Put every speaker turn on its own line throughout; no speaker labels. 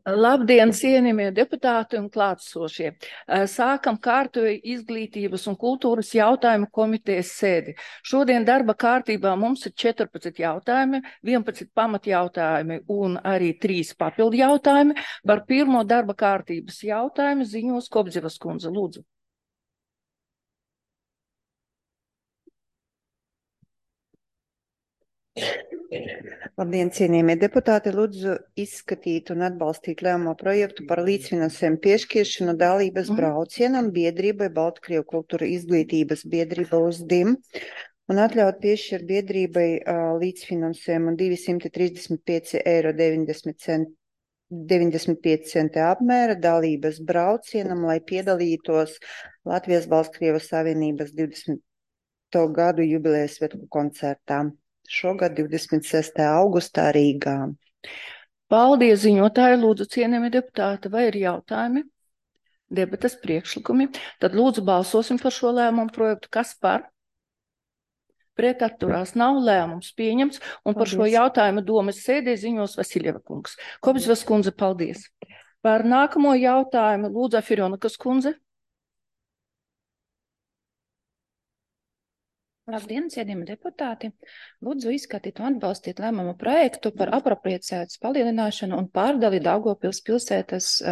Labdien, cienījamie deputāti un klātsošie. Sākam kārtoju izglītības un kultūras jautājumu komitejas sēdi. Šodien darba kārtībā mums ir 14 jautājumi, 11 pamatjautājumi un arī 3 papildu jautājumi. Par pirmo darba kārtības jautājumu ziņos Kobzevas kundze. Lūdzu.
Labdien, cienījamie deputāti, lūdzu izskatīt un atbalstīt lēmumu projektu par līdzfinansējumu piešķiršanu dalības braucienam biedrībai Baltkrievu kultūra izglītības biedrība USDIM un atļaut piešķirt biedrībai līdzfinansējumu 235,95 € apmēra dalības braucienam, lai piedalītos Latvijas Baltkrievas Savienības 20. gadu jubilejas svētku koncertā. Šogad 26. augustā Rīgā.
Paldies, ziņotāji. Lūdzu, cienījamie deputāti, vai ir jautājumi, debates, priekšlikumi? Tad lūdzu balsosim par šo lēmumu projektu. Kas par? Pret atturās nav, lēmums pieņemts. Un par šo jautājumu domas sēdē ziņos Vasiljeva kungs. Kobzevas kundze, paldies. Par nākamo jautājumu lūdzu Afirjonakas kundze.
Labdien, cienījami deputāti! Lūdzu izskatīt un atbalstīt lēmumu projektu par apropriācijas palielināšanu un pārdali Daugavpils pilsētas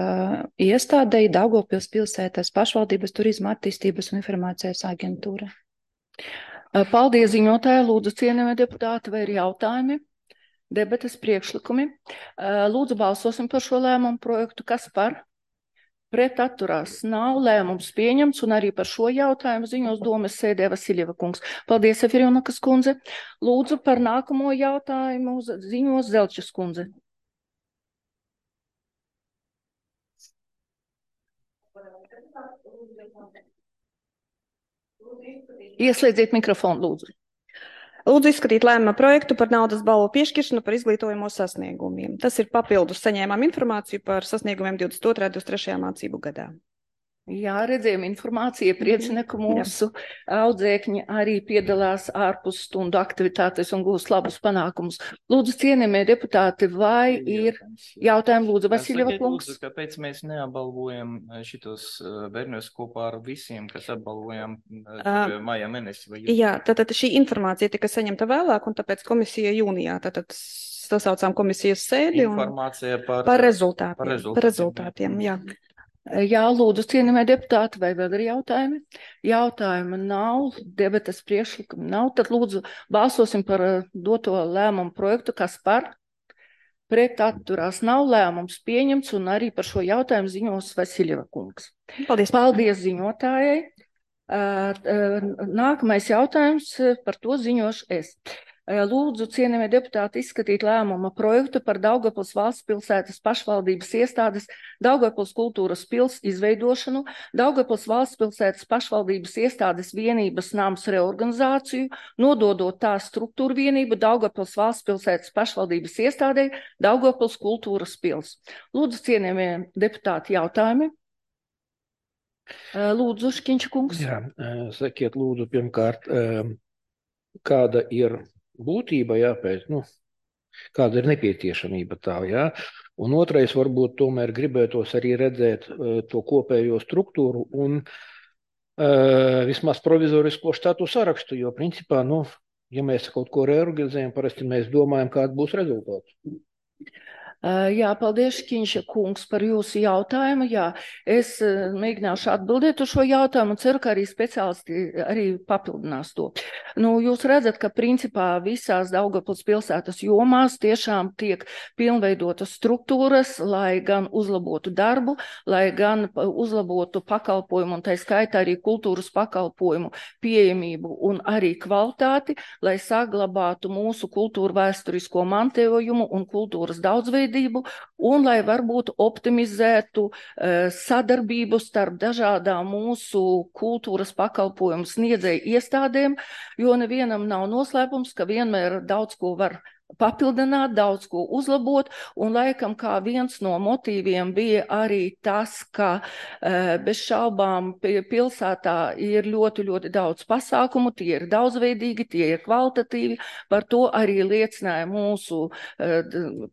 iestādei Daugavpils pilsētas pašvaldības turisma attīstības un informācijas aģentūra.
Paldies, ziņotāji. Lūdzu, cienījamie deputāti, vai ir jautājumi, debates, priekšlikumi? Lūdzu balsosim par šo lēmumu projektu. Kas par? Pret atturās nav, lēmums pieņemts, un arī par šo jautājumu ziņos domas sēdē Vasiljeva kungs. Paldies, Efirjonakas kundze. Lūdzu par nākamo jautājumu ziņos Zelčas kundze. Ieslēdziet mikrofonu, lūdzu.
Lūdzu izskatīt lēmuma projektu par naudas balvu piešķiršanu par izglītojamo sasniegumiem. Tas ir papildus saņēmām informāciju par sasniegumiem 22. un 23. mācību gadā.
Jā, redzējām informāciju, priecina, ka mūsu audzēkņi arī piedalās ārpus stundu aktivitātes un gūst labus panākumus. Lūdzu, cienījamie deputāti, vai ir jautājumi? Lūdzu, Vasiljeva kungs.
Lūdzu, kāpēc mēs neapbalvojam šitos bērnus kopā ar visiem, kas apbalvojam maijā mēnesi?
Jā, tātad šī informācija tika saņemta vēlāk, un tāpēc komisija jūnijā sasaucām komisijas sēdi un par rezultātiem, jā.
Jā, lūdzu, cienījamie deputāti, vai vēl ir jautājumi? Jautājumi nav, debates priekšlikumi nav, tad lūdzu balsosim par doto lēmumu projektu. Kas par? Pret atturās nav, lēmums pieņemts, un arī par šo jautājumu ziņos Vasiljeva kungs.
Paldies.
Paldies ziņotājai. Nākamais jautājums, par to ziņošu es. Lūdzu, cienījamie deputāti, izskatīt lēmuma projektu par Daugavpils valsts pilsētas pašvaldības iestādes Daugavpils kultūras pils izveidošanu, Daugavpils valsts pilsētas pašvaldības iestādes vienības nams reorganizāciju, nododot tā struktūru vienību Daugavpils valsts pilsētas pašvaldības iestādei Daugavpils kultūras pils. Lūdzu, cienījamie deputāti, jautājumi? Lūdzu, Škiņša kungs.
Jā, sakiet, lūdzu, pirmkārt, kāda ir būtība, jāpēc, kāda ir nepieciešamība tā, jā. Un otrais, varbūt tomēr gribētos arī redzēt to kopējo struktūru un vismaz provizorisko štatu sarakstu, jo principā, ja mēs kaut ko reorganizējam, parasti mēs domājam, kāds būs rezultāts.
Jā, paldies, Škiņša kungs, par jūsu jautājumu. Jā, es mēģināšu atbildēt uz šo jautājumu un ceru, ka arī speciālisti arī papildinās to. Jūs redzat, ka principā visās Daugavpils pilsētas jomās tiešām tiek pilnveidotas struktūras, lai gan uzlabotu darbu, lai gan uzlabotu pakalpojumu un tā skaitā arī kultūras pakalpojumu pieejamību un arī kvalitāti, lai saglabātu mūsu kultūru vēsturisko mantojumu un kultūras daudzveidību. Un lai varbūt optimizētu sadarbību starp dažādām mūsu kultūras pakalpojumu sniedzēju iestādēm, jo nevienam nav noslēpums, ka vienmēr daudz ko var papildināt, daudz ko uzlabot, un laikam kā viens no motīviem bija arī tas, ka bez šaubām pilsētā ir ļoti, ļoti daudz pasākumu, tie ir daudzveidīgi, tie ir kvalitatīvi, par to arī liecināja mūsu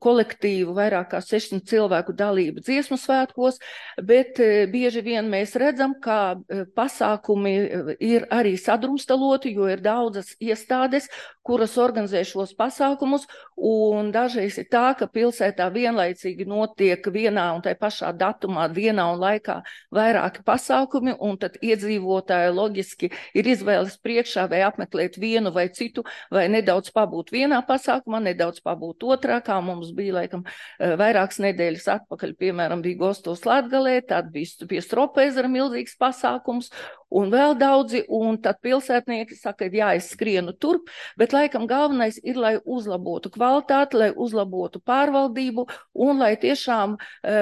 kolektīvu vairāk kā 600 cilvēku dalība dziesmu svētkos, bet bieži vien mēs redzam, ka pasākumi ir arī sadrumstaloti, jo ir daudzas iestādes, kuras organizē šos pasākumus, un dažreiz ir tā, ka pilsētā vienlaicīgi notiek vienā un tai pašā datumā, dienā un laikā vairāki pasākumi, un tad iedzīvotāji loģiski ir izvēles priekšā vai apmeklēt vienu vai citu, vai nedaudz pabūt vienā pasākumā, nedaudz pabūt otrā, kā mums bija laikam vairākas nedēļas atpakaļ, piemēram, bija Gostos Latgalē, tad bija pie Stropezera milzīgs pasākums, un vēl daudzi, un tad pilsētnieki saka, jā, es skrienu turp, bet laikam galvenais ir, lai uzlabotu kvalitāti, lai uzlabotu pārvaldību un lai tiešām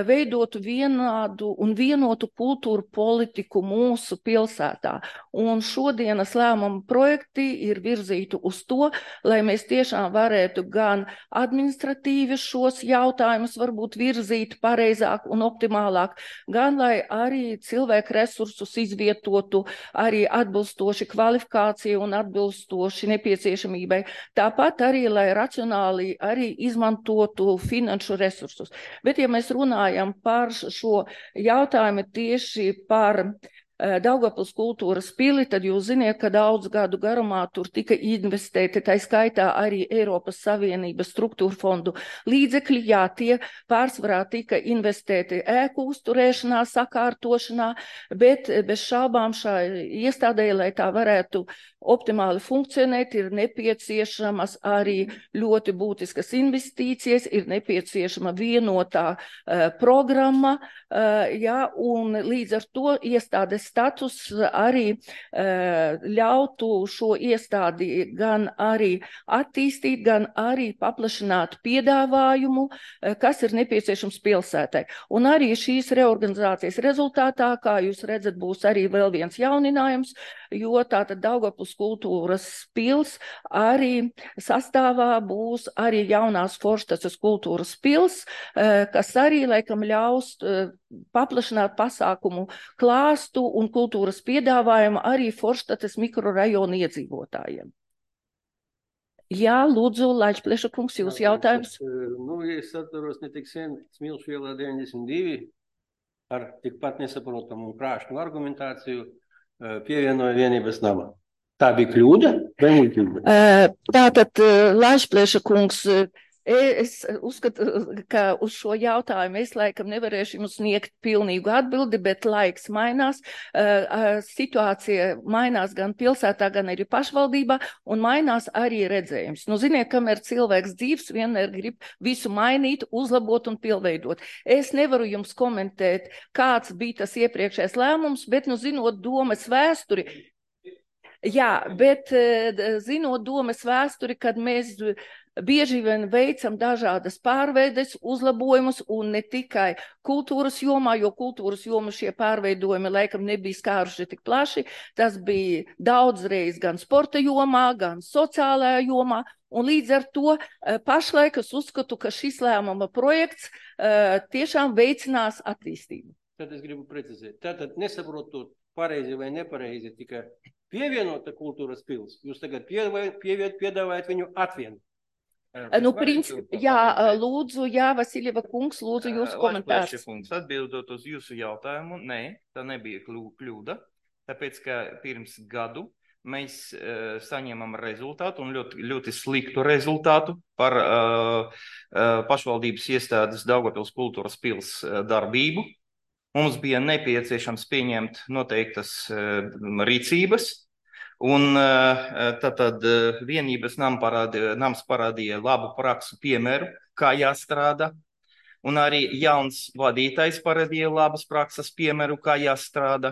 veidotu vienādu un vienotu kultūru politiku mūsu pilsētā. Un šodienas lēmuma projekti ir virzīti uz to, lai mēs tiešām varētu gan administratīvi šos jautājumus varbūt virzīt pareizāk un optimālāk, gan lai arī cilvēku resursus izvietotu arī atbilstoši kvalifikācija un atbilstoši nepieciešamībai. Tāpat arī, lai racionāli arī izmantotu finanšu resursus. Bet, ja mēs runājam par šo jautājumu tieši par Daugavpils kultūras pili, tad jūs ziniet, ka daudz gadu garumā tur tika investēti, tā skaitā arī Eiropas Savienības struktūra fondu līdzekļi, jā, tie pārsvarā tika investēti ēku uzturēšanā, sakārtošanā, bet bez šaubām šai iestādē, lai tā varētu optimāli funkcionēt, ir nepieciešamas arī ļoti būtiskas investīcijas, ir nepieciešama vienotā programma, jā, un līdz ar to iestādes status arī ļautu šo iestādi gan arī attīstīt, gan arī paplašināt piedāvājumu, kas ir nepieciešams pilsētai. Un arī šīs reorganizācijas rezultātā, kā jūs redzat, būs arī vēl viens jauninājums, jo tātad Daugavpils kultūras pils arī sastāvā būs arī jaunās Forštaces kultūras pils, kas arī laikam ļaus paplašināt pasākumu klāstu un kultūras piedāvājumu arī Forštaces mikrorajonu iedzīvotājiem. Jā, lūdzu, Laičpleša kungs, jūs jautājums?
Nu, es atceros ne tik sen Smilšu ielā 92 ar tikpat nesaprotamu un krāšņu argumentāciju pievienoja vienības namā. Tā bija kļūda vai muļķība?
Tātad, Laičpleša kungs, es uzskatu, ka uz šo jautājumu es laikam nevarēšu jums sniegt pilnīgu atbildi, bet laiks mainās, situācija mainās gan pilsētā, gan arī pašvaldībā, un mainās arī redzējums. Nu, ziniet, kamēr cilvēks dzīvs, vienmēr grib visu mainīt, uzlabot un pilnveidot. Es nevaru jums komentēt, kāds bija tas iepriekšējais lēmums, bet, nu, zinot domas vēsturi, jā, bet zinot domas vēsturi, kad mēs bieži vien veicam dažādas pārveides, uzlabojumus un ne tikai kultūras jomā, jo kultūras jomā šie pārveidojumi laikam nebija skāruši tik plaši. Tas bija daudzreiz gan sporta jomā, gan sociālajā jomā. Un līdz ar to pašlaik es uzskatu, ka šis lēmuma projekts tiešām veicinās attīstību.
Tad es gribu precizēt. Tātad nesaprotot pareizi vai nepareizi tikai pievienota kultūras pils. Jūs tagad piedāvājat viņu atvienot.
Nu, jā, lūdzu, jā, Vasiljeva kungs, lūdzu, jūsu komentārs.
Atbildot uz jūsu jautājumu, nē, tā nebija kļūda, tāpēc, ka pirms gadu mēs saņemam rezultātu un ļoti, ļoti sliktu rezultātu par pašvaldības iestādes Daugavpils kultūras pils darbību. Mums bija nepieciešams pieņemt noteiktas rīcības. Un tad vienības nams parādīja labu praksu piemēru, kā jāstrādā. Un arī jauns vadītājs parādīja labas prakses piemēru, kā jāstrādā.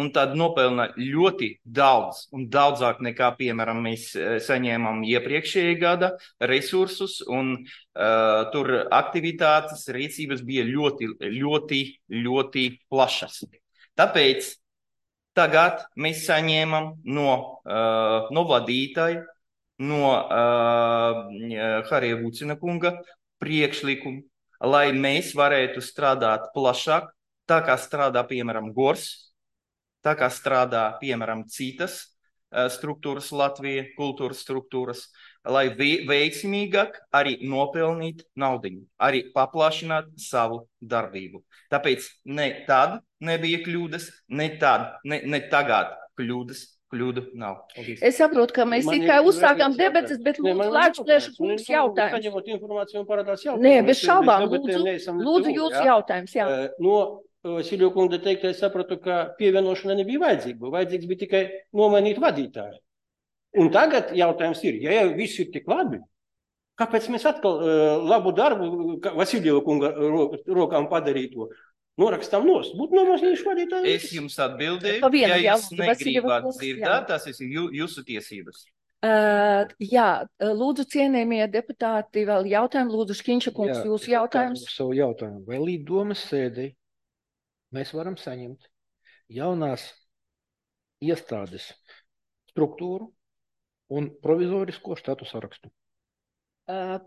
Un tad nopelna ļoti daudz un daudzāk nekā, piemēram, mēs saņēmām iepriekšējā gada resursus. Un tur aktivitātes, rīcības bija ļoti, ļoti, ļoti plašas. Tāpēc tagad mēs saņēmam no vadītāja, no Harija Vucina kunga priekšlikumu, lai mēs varētu strādāt plašāk, tā kā strādā, piemēram, GORS, tā kā strādā, piemēram, citas struktūras Latvija, kultūras struktūras, lai veiksmīgāk arī nopelnīt naudiņu, arī paplašināt savu darbību. Tāpēc ne tad nebija kļūdas, ne tagad kļūdu nav.
Es saprotu, ka mēs tikai uzsākām debates, bet lūdzu, Lēčplēša kungs jautājums.
Saņemot informāciju un parādās jautājums.
Nē, bez šaubām, lūdzu jūsu jautājums, jā.
No Vasilija kunga teikta, es sapratu, ka pievienošana nebija vajadzīga. Vajadzīgs bija tikai nomainīt vadītāju. Un tagad jautājums ir, ja jau viss ir tik labi, kāpēc mēs atkal labu darbu Vasilija kunga rokām padarīto norakstām nost? Būtu nomainījuši vadītāju.
Es jums atbildēju, ja jūs negribāt dzirdēt, tas ir jūsu tiesības.
Jā, lūdzu, cienējamie deputāti, vēl jautājumu. Lūdzu, Škiņša kungs, jūsu jautājums.
Savu jautājumu. Vai līdz domas sēdei mēs varam saņemt jaunās iestādes struktūru un provizorisko štatu sarakstu?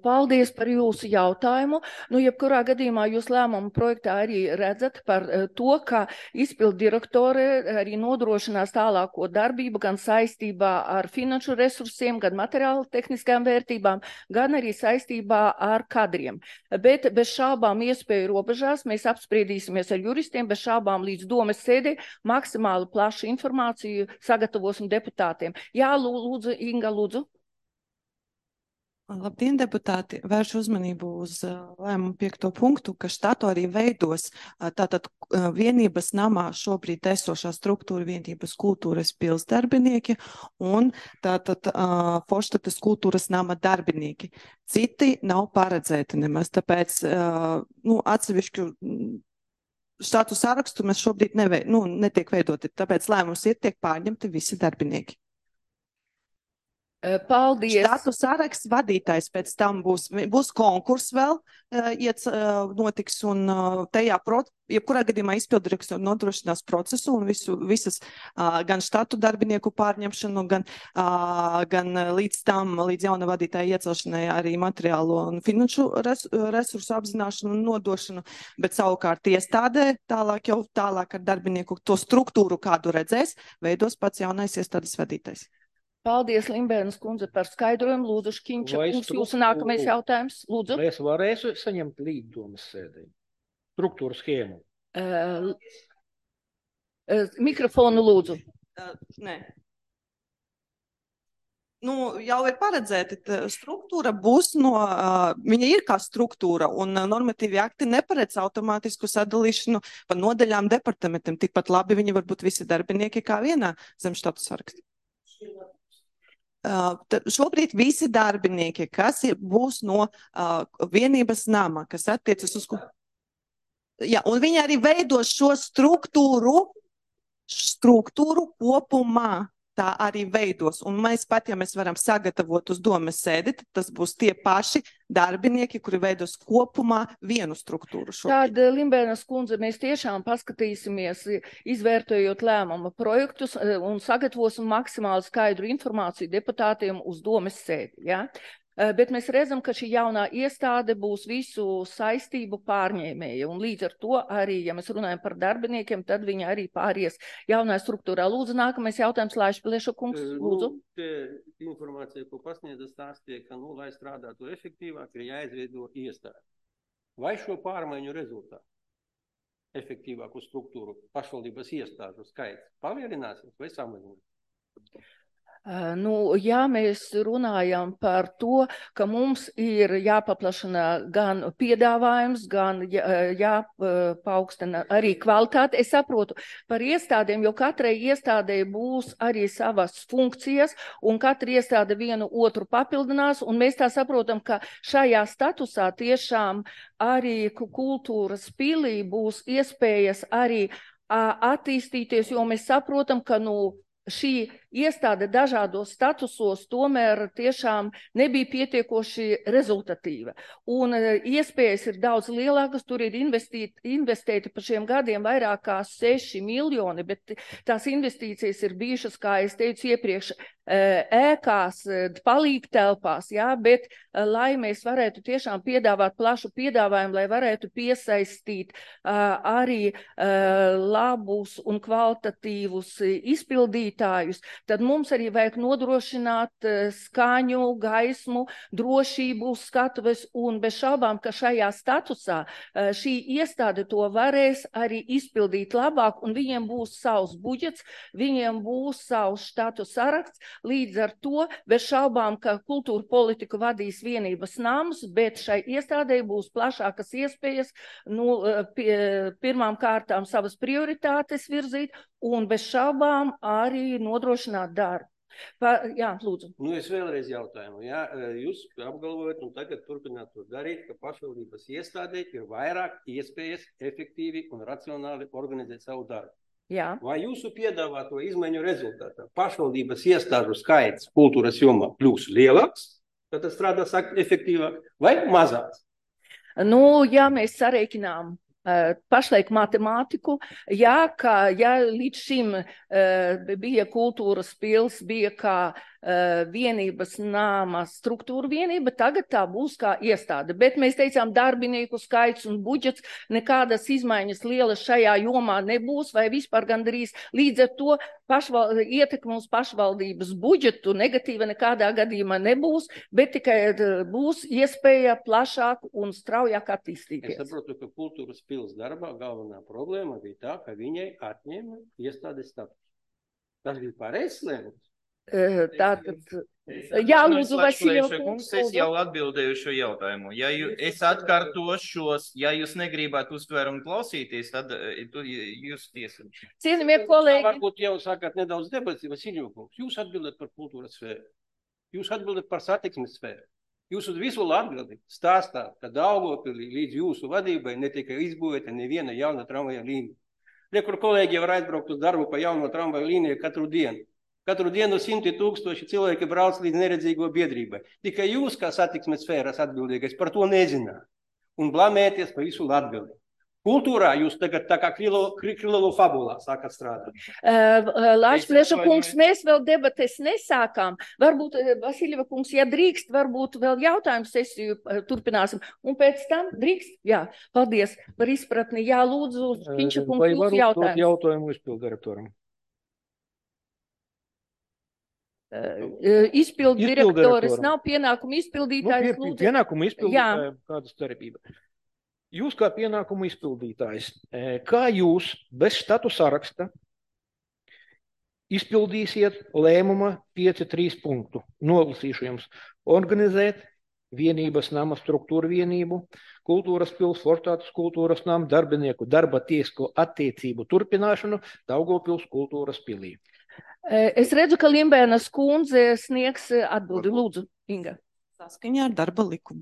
Paldies par jūsu jautājumu. Nu, jebkurā gadījumā jūs lēmumu projektā arī redzat par to, ka izpildu direktore arī nodrošinās tālāko darbību gan saistībā ar finanšu resursiem, gan materiāli tehniskām vērtībām, gan arī saistībā ar kadriem. Bet bez šābām iespēju robežās mēs apspriedīsimies ar juristiem, bez šābām līdz domas sēdē maksimāli plašu informāciju sagatavosim deputātiem. Jā, lūdzu, Inga, lūdzu.
Labdien, deputāti! Vēršu uzmanību uz lēmumu 5. punktu, ka štatu arī veidos tātad vienības namā šobrīd esošā struktūra vienības kultūras pilsdarbinieki un tātad Forštatas kultūras nama darbinieki. Citi nav paredzēti nemaz, tāpēc atsevišķu štatu sarakstu mēs šobrīd netiek veidoti, tāpēc lēmums ir tiek pārņemti visi darbinieki.
Paldies.
Štatu saraksts vadītājs pēc tam būs konkurss vēl, notiks un tajā, jebkurā gadījumā izpildirektori nodrošinās procesu un visas gan štatu darbinieku pārņemšanu, gan līdz jauna vadītāja iecelšanai arī materiālo un finanšu resursu apzināšanu un nodošanu, bet savukārt iestādē tālāk ar darbinieku to struktūru, kādu redzēs, veidos pats jaunais iestādes vadītājs.
Paldies, Limbēnas kundze, par skaidrojumu. Lūdzu, Škiņša kungs, jūsu nākamais jautājums. Lūdzu.
Vai es varēšu saņemt līdz domas sēdē struktūru schēmu?
Mikrofonu lūdzu.
Nē. Jau ir paredzēta struktūra, viņa ir kā struktūra, un normatīvi akti neparedz automātisku sadalīšanu pa nodaļām departamentiem. Tikpat labi viņi var būt visi darbinieki kā vienā zem štatu saraksta. Šobrīd visi darbinieki, kas būs no vienības nama, kas attiecas uz... Jā, un viņi arī veidos šo struktūru kopumā. Tā arī veidos. Un mēs pat, ja mēs varam sagatavot uz domas sēdi, tad tas būs tie paši darbinieki, kuri veidos kopumā vienu struktūru.
Tad, Limbēnas kundze, mēs tiešām paskatīsimies, izvērtējot lēmuma projektus un sagatavosim maksimāli skaidru informāciju deputātiem uz domas sēdi. Ja? Bet mēs redzam, ka šī jaunā iestāde būs visu saistību pārņēmēja, un līdz ar to arī, ja mēs runājam par darbiniekiem, tad viņi arī pāries jaunā struktūrā. Lūdzu, nākamais jautājums, Lēčplēša kungs, lūdzu.
Informācija, ko pasniedza stāstīja, ka, lai strādātu efektīvāk, ir jāizveido iestāde. Vai šo pārmaiņu rezultātu efektīvāku struktūru pašvaldības iestāžu skaits palielināsies vai samazināsies?
Ja mēs runājam par to, ka mums ir jāpaplašina gan piedāvājums, gan jāpaukstina arī kvalitāte, es saprotu par iestādēm, jo katrai iestādē būs arī savas funkcijas, un katra iestāde vienu otru papildinās, un mēs tā saprotam, ka šajā statusā tiešām arī kultūras pilī būs iespējas arī attīstīties, jo mēs saprotam, ka šī iestāde dažādos statusos tomēr tiešām nebija pietiekoši rezultatīva. Un iespējas ir daudz lielākas, tur ir investēti pa šiem gadiem vairāk kā 6 miljoni, bet tās investīcijas ir bijušas, kā es teicu iepriekš, ēkās, palīgtelpās, jā, bet lai mēs varētu tiešām piedāvāt plašu piedāvājumu, lai varētu piesaistīt arī labus un kvalitatīvus izpildītājus, tad mums arī vajag nodrošināt skaņu, gaismu, drošību, skatuves, un bez šaubām, ka šajā statusā šī iestāde to varēs arī izpildīt labāk, un viņiem būs savs budžets, viņiem būs savs štatu saraksts. Līdz ar to, bez šaubām, ka kultūra politiku vadīs vienības nams, bet šai iestādei būs plašākas iespējas pirmām kārtām savas prioritātes virzīt un bez šaubām arī nodrošināt darbu. Jā, lūdzu.
Es vēlreiz jautājumu. Jā, jūs apgalvojat un tagad turpināt to darīt, ka pašvaldības iestādē ir vairāk iespējas efektīvi un racionāli organizēt savu darbu.
Jā.
Vai jūsu piedāvāto izmaiņu rezultātā pašvaldības iestāžu skaits kultūras jomā kļūs lielāks, tad tas strādās efektīvāk, vai mazāks?
Ja mēs sarēķinām pašlaik matemātiku, ja līdz šim bija kultūras pils, bija kā vienības nama struktūra vienība, tagad tā būs kā iestāde. Bet mēs teicām, darbinieku skaits un budžets, nekādas izmaiņas lielas šajā jomā nebūs, vai vispār gandrīz. Līdz ar to ietekme uz pašvaldības budžetu negatīva nekādā gadījumā nebūs, bet tikai būs iespēja plašāk un straujāk attīstīties.
Es saprotu, ka kultūras pils darbā galvenā problēma bija tā, ka viņai atņēma iestādes status. Tas bija pareizs lēmums.
Tātad, jā, lūdzu, Vasiljeva kungs.
Es jau atbildēju šo jautājumu. Ja es atkārtošos, ja jūs negribētu uztvērumu klausīties, tad jūs tiesat.
Cienījamie kolēģi.
Varbūt jau sākāt nedaudz debats, Vasiljeva kungs. Jūs atbildat par kultūras sfēru. Jūs atbildat par satiksmes sfēru. Jūs uz visu Latgali stāstāt, ka Daugavpilī līdz jūsu vadībai netika izbūvēta neviena jauna tramvaja līnija. Kur kolēģi var aizbraukt uz darbu pa jauno tramvaju līniju katru dienu. Katru dienu 100 000 cilvēki brauc līdz neredzīgo biedrībai. Tikai jūs, kā satiksmes sfēras atbildīgais, par to nezināt. Un blamēties pa visu Latgali. Kultūrā jūs tagad tā kā Krilovu fabulā sākat strādāt.
Lāčplieša kungs, mēs vēl debates nesākām. Varbūt, Vasiljeva kungs, ja drīkst, varbūt vēl jautājumu sesiju turpināsim. Un pēc tam drīkst? Jā, paldies par izpratni. Jā, lūdzu, Kinča kungs, jūsu jautājumu.
Vai varu jautājumu izpildirektoram?
Izpildu direktoris nav pienākumu izpildītājs.
Pienākumu izpildītājiem kāda starpība? Jūs kā pienākumu izpildītājs, kā jūs bez štatu saraksta izpildīsiet lēmuma 5.3 punktu? Nolasīšu jums. Organizēt vienības nama struktūra vienību, kultūras pils, Fortātas kultūras nama, darbinieku darba tiesisko attiecību turpināšanu Daugavpils kultūras pilī.
Es redzu, ka Limbēnas kundze sniegs atbildi. Lūdzu, Inga.
Saskaņā ar darba likumu.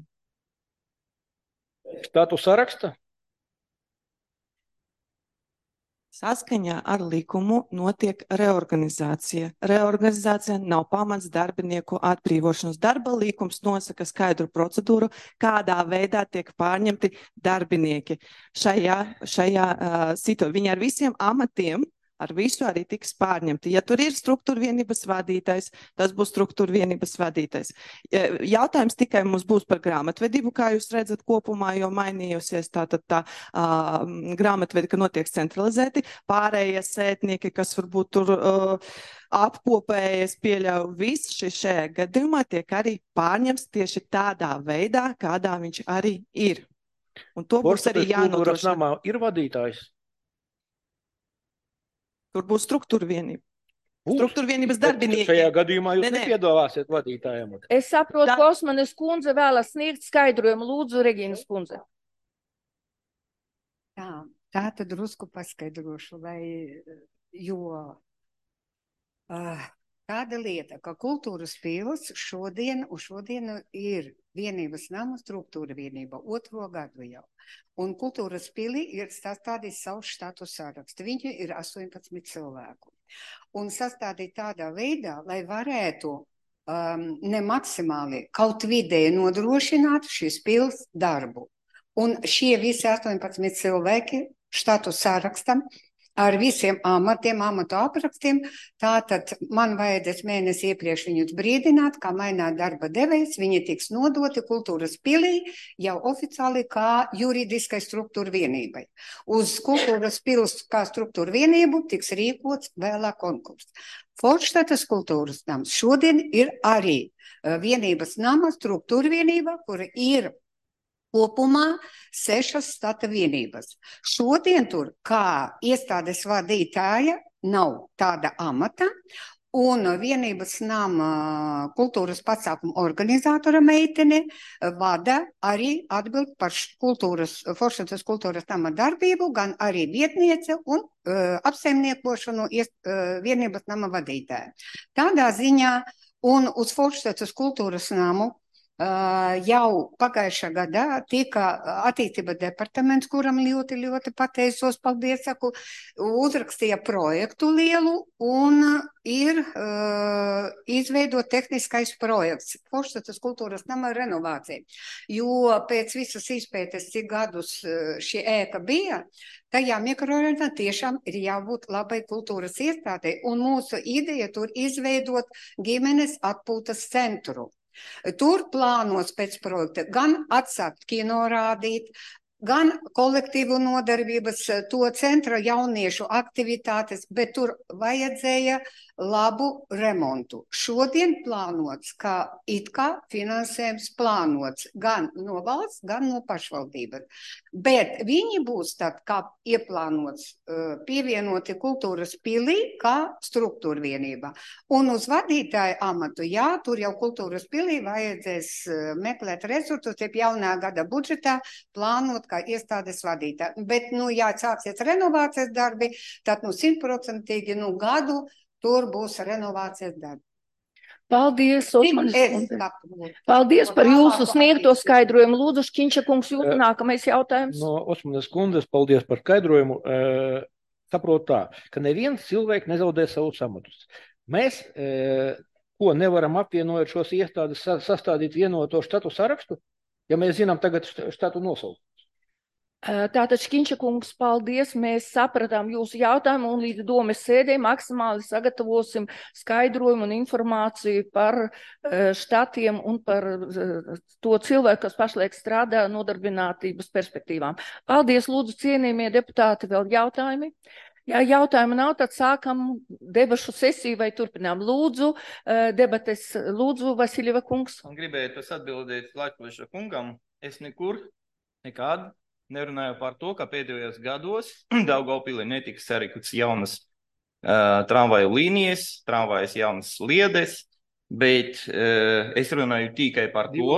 Štatu saraksta?
Saskaņā ar likumu notiek reorganizācija. Reorganizācija nav pamats darbinieku atbrīvošanas. Darba likums nosaka skaidru procedūru, kādā veidā tiek pārņemti darbinieki. Šajā situācijā viņi ar visiem amatiem ar visu arī tiks pārņemti. Ja tur ir struktūra vienības vadītājs, tas būs struktūra vienības vadītājs. Jautājums tikai mums būs par grāmatvedību, kā jūs redzat kopumā, jo mainījusies tā grāmatvedi, ka notiek centralizēti. Pārējie sētnieki, kas varbūt tur apkopējies, pieļauj viss šajā gadījumā, tiek arī pārņemts tieši tādā veidā, kādā viņš arī ir. Un to būs arī jānodrošina.
Ir vadītājs.
Tur būs struktūra vienība. Struktūra vienības darbinieki.
Šajā gadījumā jūs nepiedāvāsiet vadītājiem.
Es saprotu, ka Osmanes kundze vēlas sniegt skaidrojumu. Lūdzu, Regīnas kundze.
Tā tad drusku paskaidrošu, tāda lieta, ka kultūras pils šodien ir vienības nama struktūra vienība 2. gadu jau. Un kultūras pilī ir sastādījis savu štatu sarakstu. Viņi ir 18 cilvēku. un sastādīt tādā veidā, lai varētu ne maksimāli kaut vidēji nodrošināt šīs pils darbu. Un šie visi 18 cilvēki štatu sārakstam ar visiem amatiem, amatu aprakstiem, tātad man vajadzēs mēnesi iepriekš viņus brīdināt, kā maināt darba devējs, viņi tiks nodoti kultūras pilī jau oficiāli kā juridiskai struktūra vienībai. Uz kultūras pils kā struktūra vienību tiks rīkots vēlāk konkurss. Forštatas kultūras nams šodien ir arī vienības nama struktūra vienība, kura ir kopumā 6 štata vienības. Šodien tur kā iestādes vadītāja nav tāda amata, un vienības nama kultūras pasākumu organizatora meitene vada arī atbild par Forštatas kultūras nama darbību, gan arī vietniece un apsaimniekošanu vienības nama vadītāja. Tādā ziņā un uz Forštatas kultūras namu jau pagājušā gadā tika attīstība departaments, kuram ļoti pateicos, paldies, saku, uzrakstīja projektu lielu un ir izveidot tehniskais projekts Forštatas kultūras nama renovācija. Jo pēc visas izpētes, cik gadus šī ēka bija, tajā mikrorajonā tiešām ir jābūt labai kultūras iestādei, un mūsu ideja tur izveidot ģimenes atpūtas centru. Tur plānos pēc projekta gan atsākt kino rādīt, gan kolektīvu nodarbības, to centra jauniešu aktivitātes, bet tur vajadzēja labu remontu. Šodien plānots, ka it kā finansējums plānots gan no valsts, gan no pašvaldības. Bet viņi būs tad, kā ieplānots, pievienoti kultūras pilī kā struktūra vienībā. Un uz vadītāju amatu, jā, tur jau kultūras pilī vajadzēs meklēt resursus, jeb jaunā gada budžetā plānot kā iestādes vadītāji. Bet, ja sāksies renovācijas darbi, tad 100% gadu tur būs renovācijas darbi.
Paldies, Osmanes kundze. Paldies par jūsu sniegto skaidrojumu. Lūdzu, Šķinča kungs, jūsu nākamais jautājums.
No Osmanes kundzes, paldies par skaidrojumu. Saprotu tā, ka neviens cilvēks nezaudē savus amatus. Mēs, ko nevaram apvienojot šos iestādes, sastādīt vienoto štatu sarakstu, ja mēs zinām tagad štatu nosaukumu.
Tātad, Šķinča kungs, paldies. Mēs sapratām jūsu jautājumu un līdz domes sēdē maksimāli sagatavosim skaidrojumu un informāciju par štatiem un par to cilvēku, kas pašlaik strādā nodarbinātības perspektīvām. Paldies, lūdzu, cienījamie deputāti, vēl jautājumi? Ja jautājumu nav, tad sākam debašu sesiju vai turpinām. Lūdzu, debates, lūdzu, Vasiljeva kungs.
Un gribētu atbildēt Latviešu kungam, es nekad nerunāju par to, ka pēdējos gados Daugavpilī netiks sarīkotas jaunas tramvaju līnijas, tramvajas jaunas sliedes, bet es runāju tikai par to.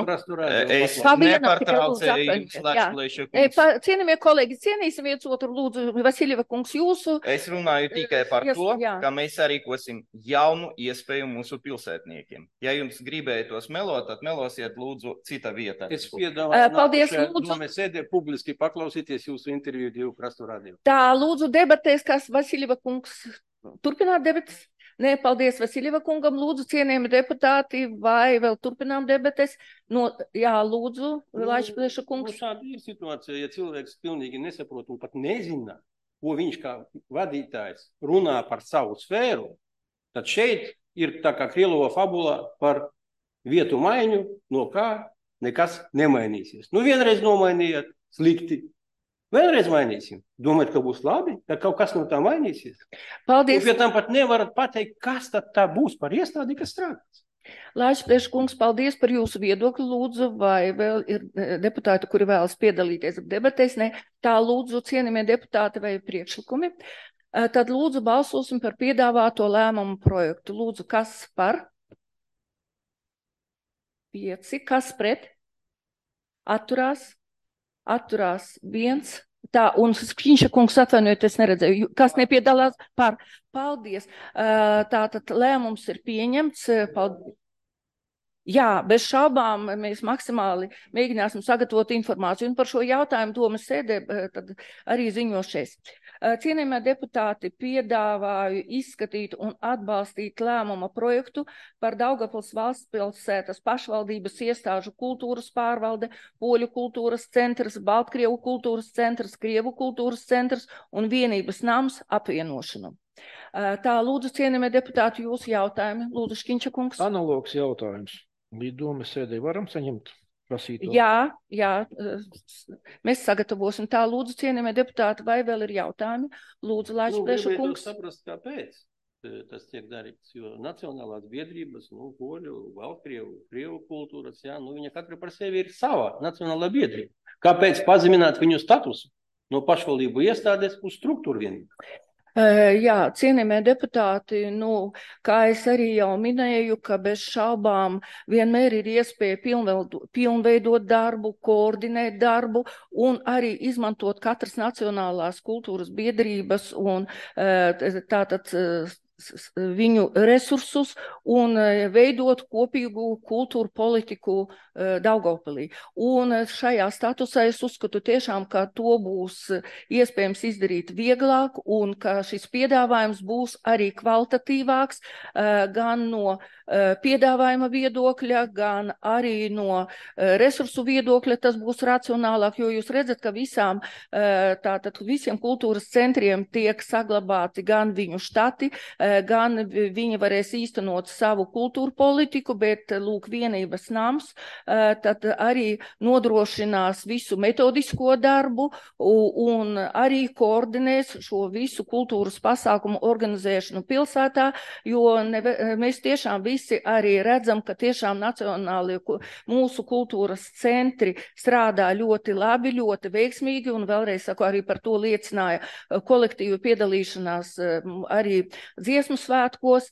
Es nepārtraucēju jums Latviešu kungs.
Cienījamie kolēģi, cienīsim viens otru, lūdzu, Vasiljeva kungs, jūsu.
Es runāju tikai par to, ka mēs sarīkosim jaunu iespēju mūsu pilsētniekiem. Ja jums gribētos melot, tad melosiet lūdzu cita vietā.
Es piedāvāju
paldies, lūdzu.
Mēs sēdē publiski paklausīties jūsu interviju Divu krastu radio.
Tā, lūdzu, debatēs, kas Vasiljeva kungs turpināt debates? Nē, paldies Vasiljeva kungam, lūdzu, cienījami deputāti, vai vēl turpinām debates? Jā, lūdzu, Latviešu kungs.
Šāda ir situācija, ja cilvēks pilnīgi nesaprot un pat nezina, ko viņš kā vadītājs runā par savu sfēru, tad šeit ir tā kā Krīlova fabula par vietu maiņu, no kā nekas nemainīsies. Vienreiz nomainījāt slikti. Vēlreiz mainīsim. Domājat, ka būs labi, ka kaut kas no tā mainīsies?
Paldies.
Un pie tam pat nevarat pateikt, kas tad tā būs par iestādi, kas strādās.
Latviešu kungs, paldies par jūsu viedokli, lūdzu, vai vēl ir deputāti, kuri vēlas piedalīties debatēs? Ne, tā lūdzu, cienījamie deputāti vai priekšlikumi. Tad lūdzu balsosim par piedāvāto lēmumu projektu. Lūdzu, kas par? 5, kas pret? Atturās 1. Tā, un Šķinča kungs atvainojiet, es neredzēju, kas nepiedalās par. Paldies. Tātad lēmums ir pieņemts. Paldies. Jā, bez šaubām mēs maksimāli mēģināsim sagatavot informāciju. Un par šo jautājumu domas sēdē tad arī ziņošies. Cienījamie deputāti, piedāvāju izskatīt un atbalstīt lēmuma projektu par Daugavpils valstspilsētas pašvaldības iestāžu kultūras pārvalde, Poļu kultūras centrs, Baltkrievu kultūras centrs, Krievu kultūras centrs un vienības nams apvienošanu. Tā, lūdzu, cienījamie deputāti, jūsu jautājumi. Lūdzu, Škiņša kungs.
Analogs jautājums. Līdz domas sēdē varam saņemt prasīto?
Jā, mēs sagatavosim. Tā, lūdzu, cienījamie deputāti, vai vēl ir jautājumi? Lūdzu, Laičplēša kungs.
Saprast, kāpēc tas tiek darīts, jo nacionālās biedrības, Poļu, Baltkrievu, Krievu kultūras, viņa katra par sevi ir sava nacionālā biedrība. Kāpēc pazemināt viņu statusu no pašvaldību iestādes uz struktūru vienību?
Jā, cienījamie deputāti, kā es arī jau minēju, ka bez šaubām vienmēr ir iespēja pilnveidot darbu, koordinēt darbu un arī izmantot katras nacionālās kultūras biedrības un tātad viņu resursus un veidot kopīgu kultūru politiku Daugavpilī. Un šajā statusā es uzskatu tiešām, ka to būs iespējams izdarīt vieglāk un ka šis piedāvājums būs arī kvalitatīvāks gan no piedāvājuma viedokļa, gan arī no resursu viedokļa. Tas būs racionālāk, jo jūs redzat, ka visiem kultūras centriem tiek saglabāti gan viņu štati, gan viņi varēs īstenot savu kultūru politiku, bet, lūk, vienības nams tad arī nodrošinās visu metodisko darbu un arī koordinēs šo visu kultūras pasākumu organizēšanu pilsētā, jo mēs tiešām visi arī redzam, ka tiešām nacionālie mūsu kultūras centri strādā ļoti labi, ļoti veiksmīgi, un vēlreiz saku, arī par to liecināja kolektīva piedalīšanās arī dziesmu svētkos,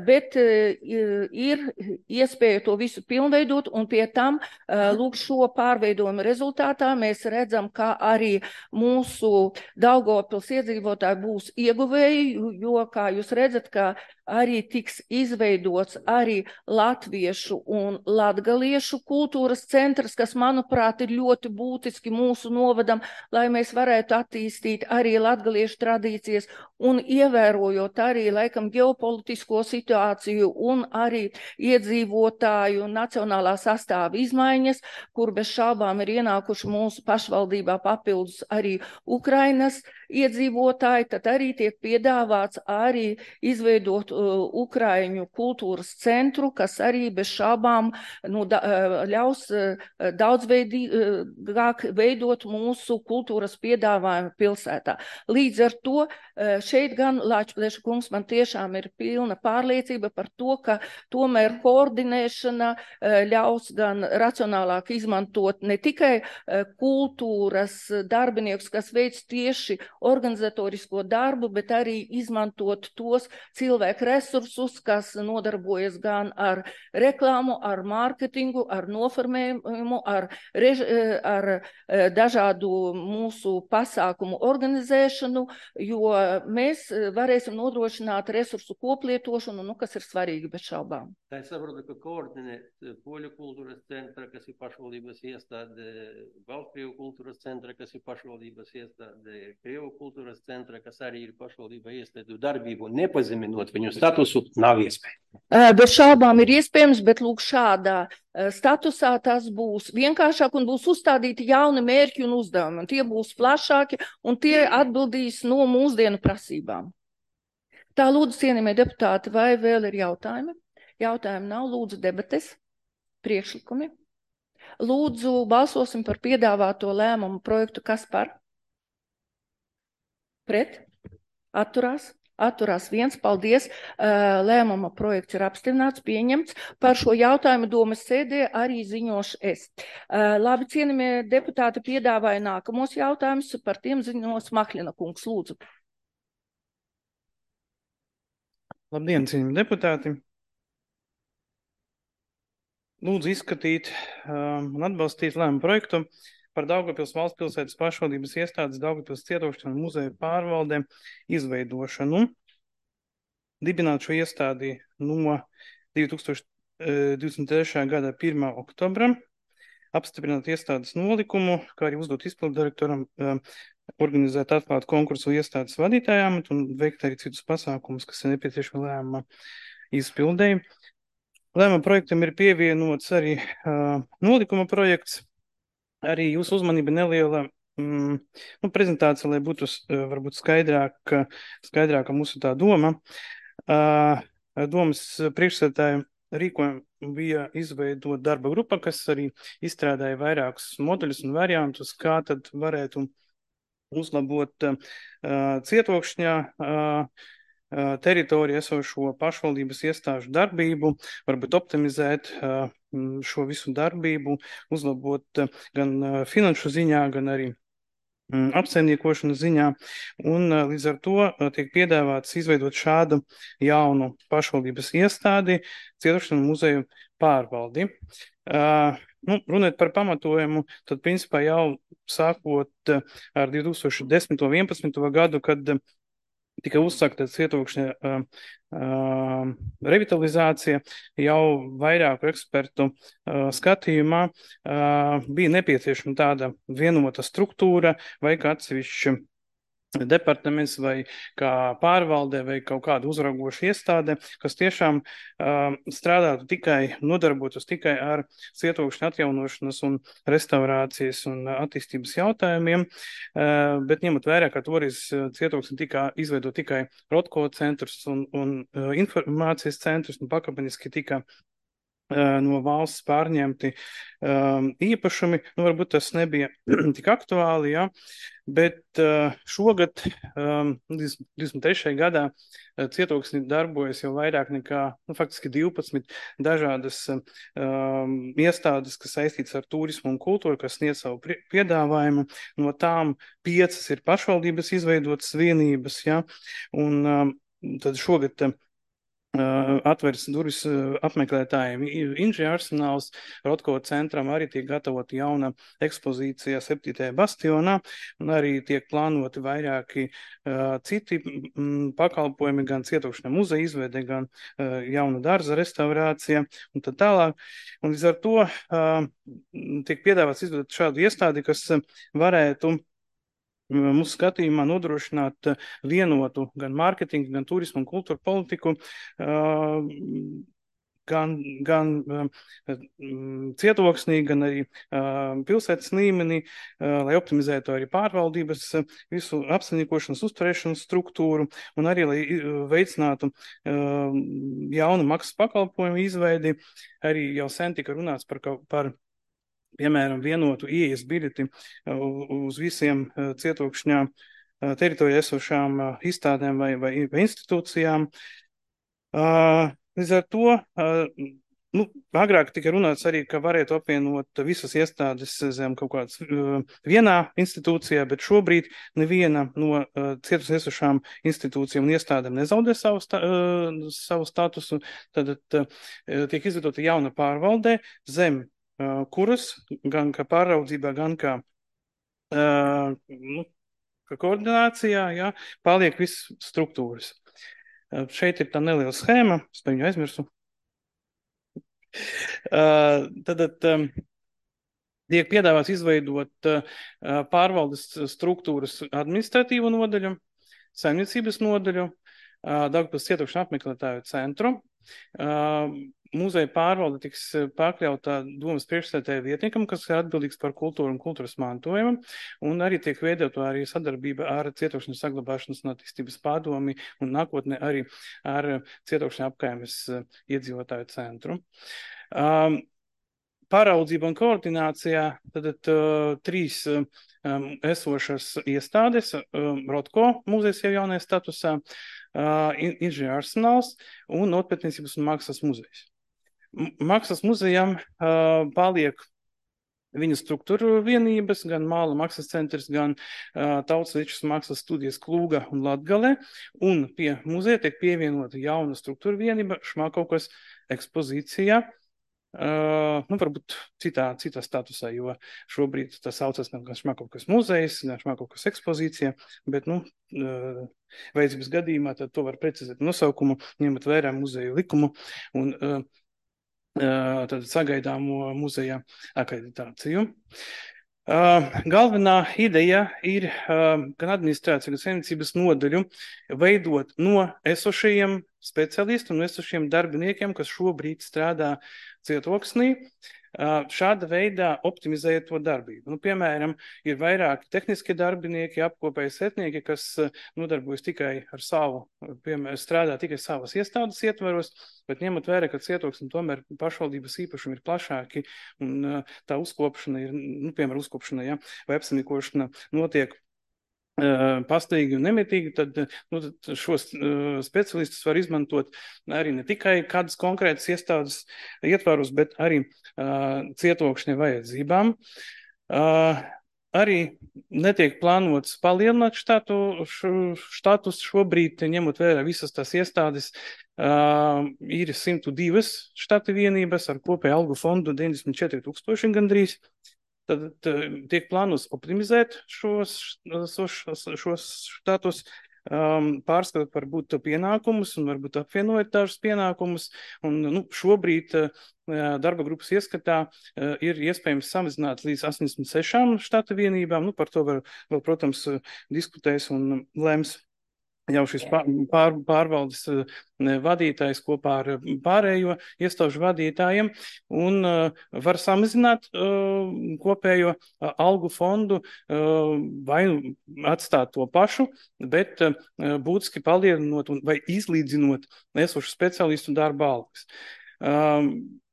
bet ir iespēja to visu pilnveidot, un pie tam, lūk, šo pārveidojumu rezultātā mēs redzam, ka arī mūsu Daugavpils iedzīvotāji būs ieguvēji, jo, kā jūs redzat, ka arī tiks izveidots arī latviešu un latgaliešu kultūras centrs, kas, manuprāt, ir ļoti būtiski mūsu novadam, lai mēs varētu attīstīt arī latgaliešu tradīcijas un ievērojot arī, laikam, ģeopolitisko situāciju un arī iedzīvotāju nacionālā sastāva izmaiņas, kur bez šaubām ir ienākuši mūsu pašvaldībā papildus arī Ukrainas iedzīvotāji, tad arī tiek piedāvāts arī izveidot Ukraiņu kultūras centru, kas arī bez šaubām ļaus daudzveidīgāk veidot mūsu kultūras piedāvājumu pilsētā. Līdz ar to šeit gan, Lāčplēša kungs, man tiešām ir pilna pārliecība par to, ka tomēr koordinēšana ļaus gan racionālāk izmantot ne tikai kultūras darbiniekus, kas veic tieši organizatorisko darbu, bet arī izmantot tos cilvēku resursus, kas nodarbojas gan ar reklāmu, ar mārketingu, ar noformējumu, ar dažādu mūsu pasākumu organizēšanu, jo mēs varēsim nodrošināt resursu koplietošanu, kas ir svarīgi bez šaubām.
Tā es saprotu, ka koordinēt Poļu kultūras centra, kas ir pašvaldības iestāde, Baltkrievu kultūras centra, kas ir pašvaldības iestāde, Krievu kultūras centra, kas arī ir pašvaldība iestādu darbību, nepazeminot viņu statusu, nav iespēja.
Bez šaubām ir iespējams, bet lūk šādā statusā tas būs vienkāršāk un būs uzstādīti jauni mērķi un uzdevumi, un tie būs plašāki un tie atbildīs no mūsdienu prasībām. Tā, lūdzu, cienījamie deputāti, vai vēl ir jautājumi? Jautājumi nav, lūdzu, debates, priekšlikumi. Lūdzu, balsosim par piedāvāto lēmumu projektu, kas par? Pret? Atturās? Atturās viens, paldies. Lēmuma projekts ir apstiprināts, pieņemts. Par šo jautājumu domas sēdē arī ziņošu es. Labi, cienījamie deputāti, piedāvāja nākamos jautājumus, par tiem ziņos Mahļina kungs, lūdzu.
Labdien, cienījamie deputāti. Lūdzu izskatīt un atbalstīt lēmumu projektu par Daugavpils valstspilsētas pašvaldības iestādes Daugavpils cietošanu muzeju pārvaldēm izveidošanu. Dibināt šo iestādi no 2023. gada 1. oktobra, apstiprināt iestādes nolikumu, kā arī uzdot izpildu direktoram organizēt atklātu konkursu iestādes vadītājām un veikt arī citus pasākumus, kas ir nepieciešami lēmuma izpildēji. Lēmuma projektam ir pievienots arī nolikuma projekts. Arī jūsu uzmanība neliela prezentācija, lai būtu varbūt skaidrāka mūsu tā doma. Domas priekšsēdētāja rīkojumu bija izveidot darba grupa, kas arī izstrādāja vairākus modeļus un variantus, kā tad varētu uzlabot Cietokšņā teritoriju esošo pašvaldības iestāžu darbību, varbūt optimizēt šo visu darbību, uzlabot gan finanšu ziņā, gan arī apsaimniekošanas ziņā, un līdz ar to tiek piedāvāts izveidot šādu jaunu pašvaldības iestādi Cietokšņu muzeju pārvaldi. Runājot par pamatojumu, tad principā jau sākot ar 2010. un 2011. gadu, kad tika uzsākta Cietokšņa revitalizācija, jau vairāku ekspertu skatījumā bija nepieciešama tāda vienota struktūra vai kā atsevišķa departaments vai kā pārvalde vai kaut kāda uzraugoša iestāde, kas tiešām strādātu tikai, nodarbotos tikai ar Cietokšņa atjaunošanas un restaurācijas un attīstības jautājumiem, bet ņemot vērā, ka toreiz Cietokšņa tika izveidot tikai Rotko centrs un informācijas centrs un pakāpeniski tika no valsts pārņemti īpašumi. Varbūt tas nebija tik aktuāli, ja? Bet šogad, 23. gadā, Cietoksnī darbojas jau vairāk nekā, faktiski 12 dažādas iestādes, kas saistītas ar turismu un kultūru, kas sniedz savu piedāvājumu. No tām 5 ir pašvaldības izveidotas vienības, ja? Un tad šogad atveras durvis apmeklētājiem inženierarsenāls. Rotko centram arī tiek gatavota jauna ekspozīcija 7. bastionā, un arī tiek plānoti vairāki citi pakalpojumi, gan Cietokšņa muzeja izveide, gan jauna dārza restaurācija un tad tālāk. Un līdz ar to tiek piedāvāts izveidot šādu iestādi, kas varētu mūsu skatījumā nodrošināt vienotu gan mārketingu, gan turismu un kultūru politiku, gan Cietoksnī, gan arī pilsētas līmenī, lai optimizētu arī pārvaldības visu apsaimniekošanas uzturēšanas struktūru un arī, lai veicinātu jaunu maksas pakalpojumu izveidi. Arī jau sen tika runāts par piemēram, vienotu ieejas biļeti uz visiem Cietokšņā teritorijā esošām izstādēm vai institūcijām. Līdz ar to, agrāk tika runāts arī, ka varētu apvienot visas iestādes zem kaut kādas vienā institūcijā, bet šobrīd neviena no Cietokšņā esošām institūcijām un iestādēm nezaudē savu statusu. Tad tiek izveidota jauna pārvaldē zem kuras gan kā pāraudzībā, gan kā koordinācijā, ja, paliek viss struktūras. Šeit ir tā neliela schēma, es par viņu aizmirsu. Tad tiek piedāvāts izveidot pārvaldes struktūras administratīvo nodaļu, saimniecības nodaļu, Daugavpils Cietokšņa apmeklētāju centru. Muzeja pārvalde tiks pakļautā domas priekšsēdētāja vietniekam, kas ir atbildīgs par kultūru un kultūras mantojumu, un arī tiek veidota arī sadarbība ar Cietokšņa saglabāšanas un attīstības padomi un nākotnē arī ar Cietokšņa apkaimes iedzīvotāju centru. Pāraudzība un koordinācijā tad 3 esošas iestādes, Rotko muzejs jau jaunajā statusā, inženierarsenāls un nopietniecības un mākslas muzejs. Mākslas muzejam paliek viņa struktūra vienības, gan Māla mākslas centrs, gan Tautas Līčas mākslas studijas Klūga un Latgale, un pie muzeja tiek pievienota jauna struktūra vienība Šmakovkas ekspozīcijā, varbūt citā statusā, jo šobrīd tas saucas gan Šmakovkas muzejs, gan Šmakovkas ekspozīcija, bet, vajadzības gadījumā tad to var precizēt nosaukumu, ņemot vērā muzeju likumu un tad sagaidāmo muzeja akreditāciju. Galvenā ideja ir gan administrācija, gan saimniecības nodaļu veidot no esošajiem specialistiem, no esošajiem darbiniekiem, kas šobrīd strādā Cietoksnī, šāda veidā optimizējot to darbību. Nu, piemēram, ir vairāki tehniskie darbinieki, apkopēji setnieki, kas nodarbojas tikai ar savu, strādā tikai savas iestādes ietvaros, bet ņemot vērā, ka Cietoksni tomēr pašvaldības īpašumi ir plašāki un tā uzkopšana ir, nu, piemēram, uzkopšana, ja, vai apsaimniekošana notiek pastīgi un nemitīgi, tad, nu, tad šos specialistus var izmantot arī ne tikai kādas konkrētas iestādes ietvarus, bet arī Cietokšņa vajadzībām. Arī netiek plānots palielināt štatus šobrīd, ņemot vērā visas tās iestādes, ir 102 štata vienības ar kopēju algu fondu 94 000 gandrīz. Tad tiek plānots optimizēt šos štatus, pārskatot varbūt pienākumus un varbūt apvienojot dažus pienākumus. Un, nu, šobrīd darba grupas ieskatā ir iespējams samazināt līdz 86 štata vienībām. Nu, par to vēl, protams, diskutēs un lems jau šis pārvaldes vadītājs kopā ar pārējo iestāžu vadītājiem un var samazināt kopējo algu fondu vai atstāt to pašu, bet būtiski palielinot vai izlīdzinot esošu speciālistu darba algas.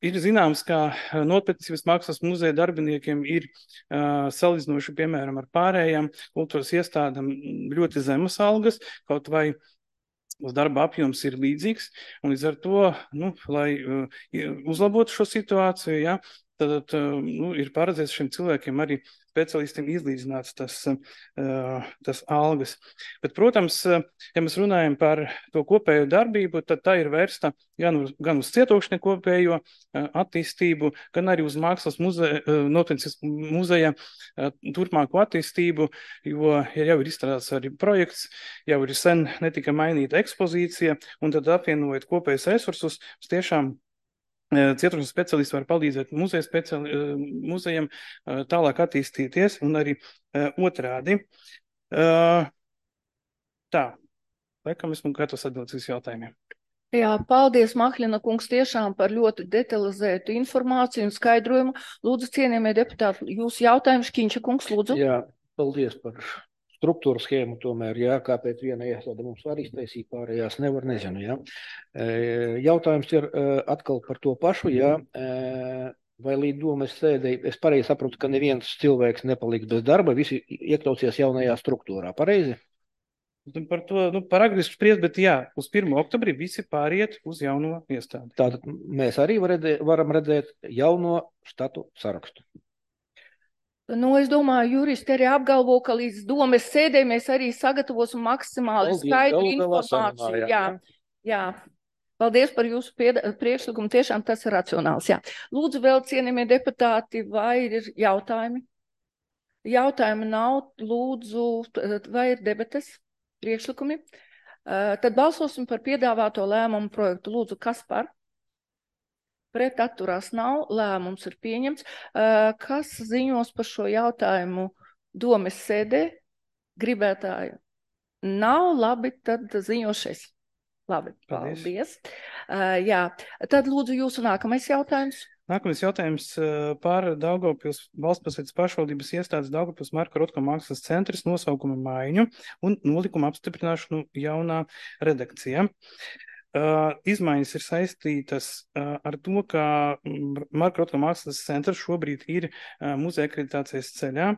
Ir zināms, ka Nopietnības mākslas muzeja darbiniekiem ir salīdzinoši, piemēram, ar pārējām kultūras iestādām ļoti zemas algas, kaut vai darba apjoms ir līdzīgs, un līdz ar to, nu, lai uzlabotu šo situāciju, ja, tad nu, ir paredzēts šiem cilvēkiem arī specialistiem izlīdzināts tas algas. Bet, protams, ja mēs runājam par to kopējo darbību, tad tā ir vērsta gan uz Cietokšņa kopējo attīstību, gan arī uz mākslas Nopietnības muzeja turpmāko attīstību, jo jau ir izstrādāts arī projekts, jau ir sen netika mainīta ekspozīcija, un tad apvienojot kopējos resursus, tiešām Cietokšņa speciālisti var palīdzēt muzejam tālāk attīstīties un arī otrādi. Tā, laikam esmu gatavs atbildēt uz jautājumiem.
Jā, paldies, Mahļina kungs, tiešām par ļoti detalizētu informāciju un skaidrojumu. Lūdzu, cienījamie deputāti, jūsu jautājums, Kiņša kungs, lūdzu.
Jā, paldies par struktūru schēmu tomēr, jā, kāpēc viena iestāde mums var iztaisīt, pārējās nevar, nezinu, jā. Jautājums ir atkal par to pašu, jā, vai līdz domas sēdēji, es pareizi saprotu, ka neviens cilvēks nepaliks bez darba, visi iekļausies jaunajā struktūrā, pareizi?
Par to, nu, par agri spriest, bet jā, uz 1. oktobrī visi pāriet uz jauno iestādi.
Tātad mēs arī varam redzēt jauno štatu sarakstu.
Nu, es domāju, juristi arī apgalvo, ka līdz domes sēdē mēs arī sagatavosim maksimāli skaidru informāciju. Jā. Paldies par jūsu priekšlikumu, tiešām tas ir racionāls. Jā. Lūdzu, vēl cienījamie deputāti, vai ir jautājumi? Jautājumi nav, lūdzu, vai ir debates, priekšlikumi? Tad balsosim par piedāvāto lēmumu projektu. Lūdzu, kas par? Pret atturās nav, lēmums ir pieņemts. Kas ziņos par šo jautājumu domes sēdē? Gribētāju nav, labi, tad ziņošies. Labi, paldies. Jā, tad lūdzu jūsu nākamais jautājums.
Nākamais jautājums par Daugavpils valstspilsētas pašvaldības iestādes Daugavpils Marka Rotko mākslas centrs nosaukuma maiņu un nolikuma apstiprināšanu jaunā redakcijā. Izmaiņas ir saistītas ar to, ka Marka Rotko mākslas centrs šobrīd ir muzeja akreditācijas ceļā.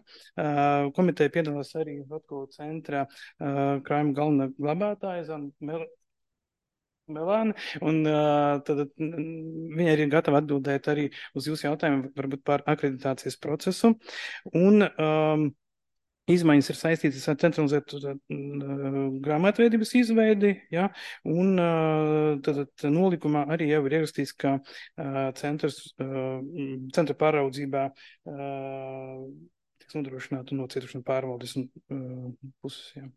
Komiteja piedalās arī Rotko centra krājuma galvenā glabātāja Melāne, un tad viņa ir gatava atbildēt arī uz jūsu jautājumu varbūt par akreditācijas procesu. Un izmaiņas ir saistītas ar centralizētu grāmatveidības izveidi, ja, un tad nolikumā arī jau ir ierakstīts, ka centra pāraudzībā tiks nodrošināta no Cietoksņa pārvaldes puses. Ja.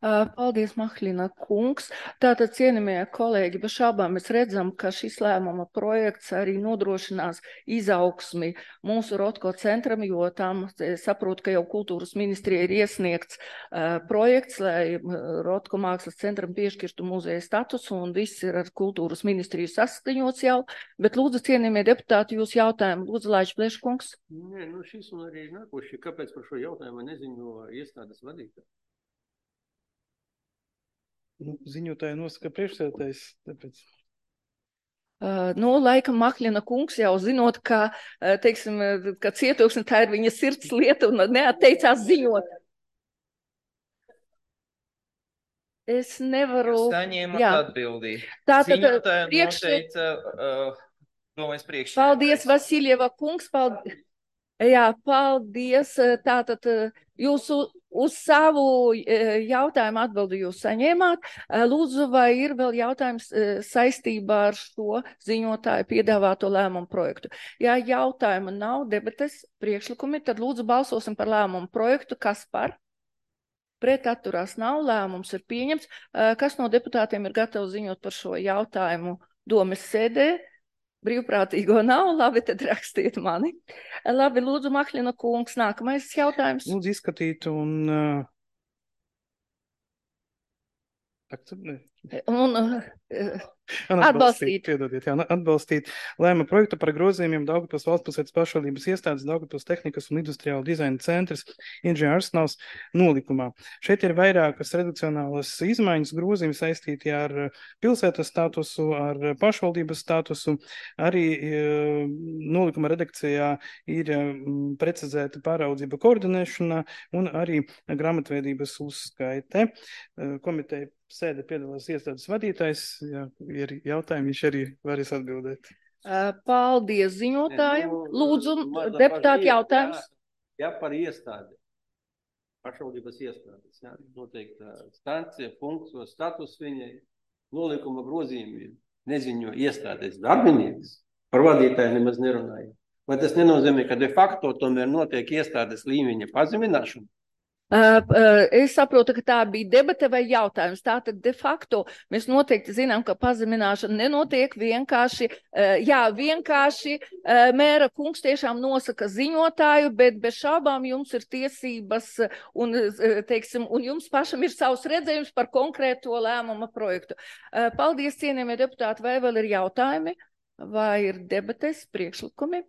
Paldies, Mahlina kungs. Tātad, cienījamie kolēģi, bez šaubām mēs redzam, ka šis lēmuma projekts arī nodrošinās izaugsmi mūsu Rotko centram, jo tam saprotu, ka jau kultūras ministrija ir iesniegts projekts, lai Rotko mākslas centram piešķirtu muzeja statusu, un viss ir ar kultūras ministriju saskaņots jau. Bet lūdzu, cienījamie deputāti, jūs jautājumu. Lūdzu, Laičs Pleškungs.
Nē, šis un arī nākoši, kāpēc par šo jautājumu neziņo iestādes vadītāji?
Ziņotāji nosaka priekšsēdētājs, tāpēc.
Laikam Mahlina kungs jau zinot, ka, teiksim, ka cietoksne tā ir viņa sirds lieta un neatteicās ziņot. Es nevaru...
Saņēmat atbildī.
Tātad
Ziņotāji noteica domājas priekšsēdētājs.
Paldies, Vasiljeva kungs, paldies. Jā, paldies. Tātad jūsu uz savu jautājumu atbildi jūs saņēmāt. Lūdzu, vai ir vēl jautājums saistībā ar šo ziņotāju piedāvāto lēmumu projektu? Ja jautājuma nav, debates, priekšlikumi, tad lūdzu balsosim par lēmumu projektu. Kas par? Pret atturās nav, lēmums ir pieņemts. Kas no deputātiem ir gatavs ziņot par šo jautājumu domes sēdē? Brīvprātīgo nav, labi, tad rakstiet mani. Labi, lūdzu, Mahlina kungs, nākamais jautājums.
Lūdzu izskatīt un... Atbalstīt. Piedodiet, atbalstīt lēma projektu par grozījumiem Daugavpils valstspilsētas pašvaldības iestādes Daugavpils tehnikas un industriāla dizaina centrs Inženieru arsenāls nolikumā. Šeit ir vairākas redakcionālas izmaiņas, grozījumi saistīti ar pilsētas statusu, ar pašvaldības statusu. Arī nolikuma redakcijā ir precizēta pāraudzība koordinēšana un arī grāmatveidības uzskaite. Komiteja sēde piedalās iestādes vadītājs. Ja ir jautājumi, viņš arī varēs atbildēt.
Paldies ziņotājiem. Lūdzu, deputāti jautājums.
Ja par iestādi, pašvaldības iestādes, ja, noteikti stancija, funkcija, status viņai, nolikuma grozījumi neziņo iestādes darbinieks, par vadītāju nemaz nerunāja. Vai tas nenozīmē, ka de facto tomēr notiek iestādes līmeņa pazemināšana?
Es saprotu, ka tā bija debate vai jautājums. Tātad de facto mēs noteikti zinām, ka pazemināšana nenotiek vienkārši. Vienkārši mēra kungs tiešām nosaka ziņotāju, bet bez šaubām jums ir tiesības un, teiksim, un jums pašam ir savs redzējums par konkrēto lēmuma projektu. Paldies, cienījamie deputāti, vai vēl ir jautājumi? Vai ir debates, priekšlikumi?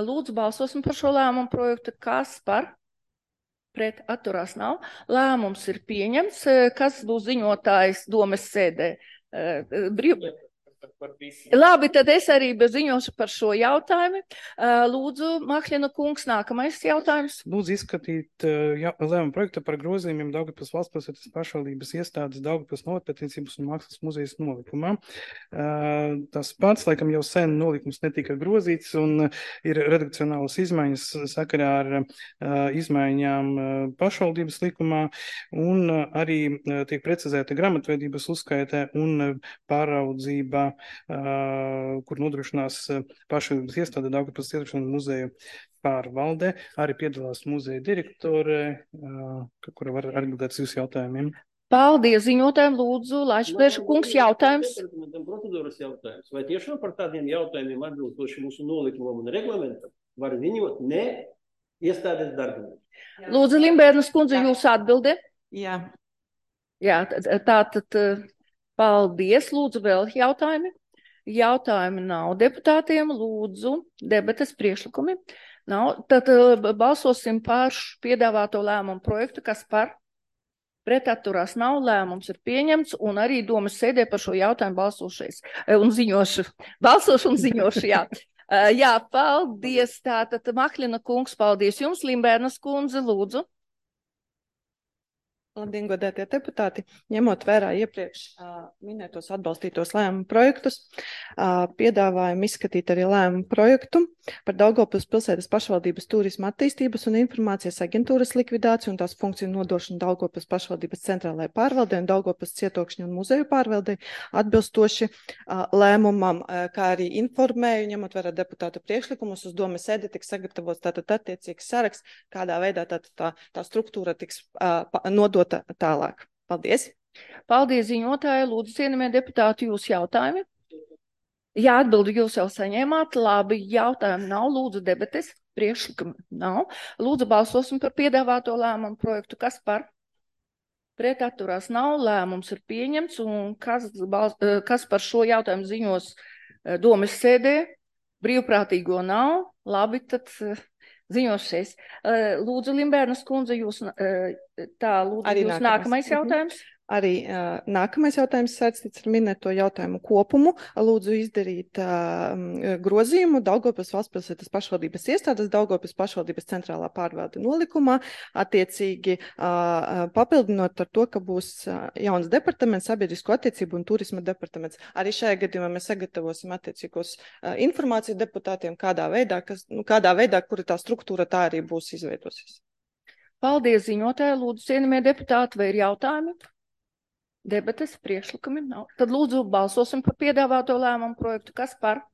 Lūdzu, balsosim par šo lēmumu projektu. Kas par? Pret atturās nav. Lēmums ir pieņemts. Kas būs ziņotājs domes sēdē? Labi, tad es arī ziņošu par šo jautājumu. Lūdzu, Mahlina kungs, nākamais jautājums.
Lūdzu izskatīt lēmumu projektu par grozījumiem Daugavpils valstspilsētas pašvaldības iestādes Daugavpils novērtniecības un mākslas muzejas nolikumā. Tas pats, laikam jau sen nolikums netika grozīts un ir redakcionālas izmaiņas sakarā ar izmaiņām pašvaldības likumā un arī tiek precizēta grāmatveidības uzskaitē un pāraudzība, kur nodrošinās pašvaldības iestāde Daugavpils Cietoksņu muzeju pārvalde. Arī piedalās muzeja direktore, kura var atbildēt uz jūsu jautājumiem.
Paldies ziņotājiem, lūdzu, Laičs kungs, jautājums.
Procedūras jautājums. Vai tiešām par tādiem jautājumiem atbilstoši mūsu nolikumam un reglamentam var ziņot ne iestādes darbinieki?
Lūdzu, Limbērnas kundze, jūs atbildi?
Jā.
Jā, tātad paldies. Lūdzu, vēl jautājumi? Jautājumi nav deputātiem. Lūdzu, debates priekšlikumi. Nav. Tad balsosim par piedāvāto lēmumu projektu, kas par pret atturās nav, lēmums ir pieņemts un arī domas sēdē par šo jautājumu balsošais un ziņošu. Balsošu un ziņošu, jā. Jā, paldies. Tātad Mahlina kungs, paldies jums. Limbērnas kundze, lūdzu.
Labdien, godētie deputāti! Ņemot vērā iepriekš minētos atbalstītos lēmumu projektus, piedāvājam izskatīt arī lēmumu projektu par Daugavpils pilsētas pašvaldības turisma attīstības un informācijas aģentūras likvidāciju un tās funkciju nodošanu Daugavpils pašvaldības centrālajai pārvaldei un Daugavpils Cietoksņu un muzeju pārvaldei atbilstoši lēmumam, kā arī informēju, ņemot vērā deputātu priekšlikumus, uz domes sēdi tiks sagatavots tātad attiecīgs saraksts, kādā veidā tā struktūra tiks nodota tālāk.
Paldies!
Paldies, ziņotāji. Lūdzu, cienījamie deputāti, jūsu jautājumi. Jā, atbildi jūs jau saņēmāt. Labi, jautājumi nav. Lūdzu, debates. Priekšlikumi nav. Lūdzu, balsosim par piedāvāto lēmumu projektu. Kas par? Pret atturās nav. Lēmums ir pieņemts. Un kas par šo jautājumu ziņos domes sēdē? Brīvprātīgo nav. Labi, tad ziņošies. Lūdzu, Limbērnas kundze, jūs nākamais jautājums.
Arī nākamais jautājums saistīts ar minēto jautājumu kopumu. Lūdzu izdarīt grozījumu Daugavpils valstspilsētas pašvaldības iestādes Daugavpils pašvaldības centrālā pārvalde nolikumā, attiecīgi papildinot ar to, ka būs jauns departaments, sabiedrisko attiecību un turisma departaments. Arī šajā gadījumā mēs sagatavosim attiecīgos informāciju deputātiem, kādā veidā, kura tā struktūra tā arī būs izveidosies.
Paldies, ziņotāji. Lūdzu, cienījamie deputāti, vai ir jautājumi? Debates, priekšlikumi nav. Tad lūdzu balsosim par piedāvāto lēmumu projektu. Kas par?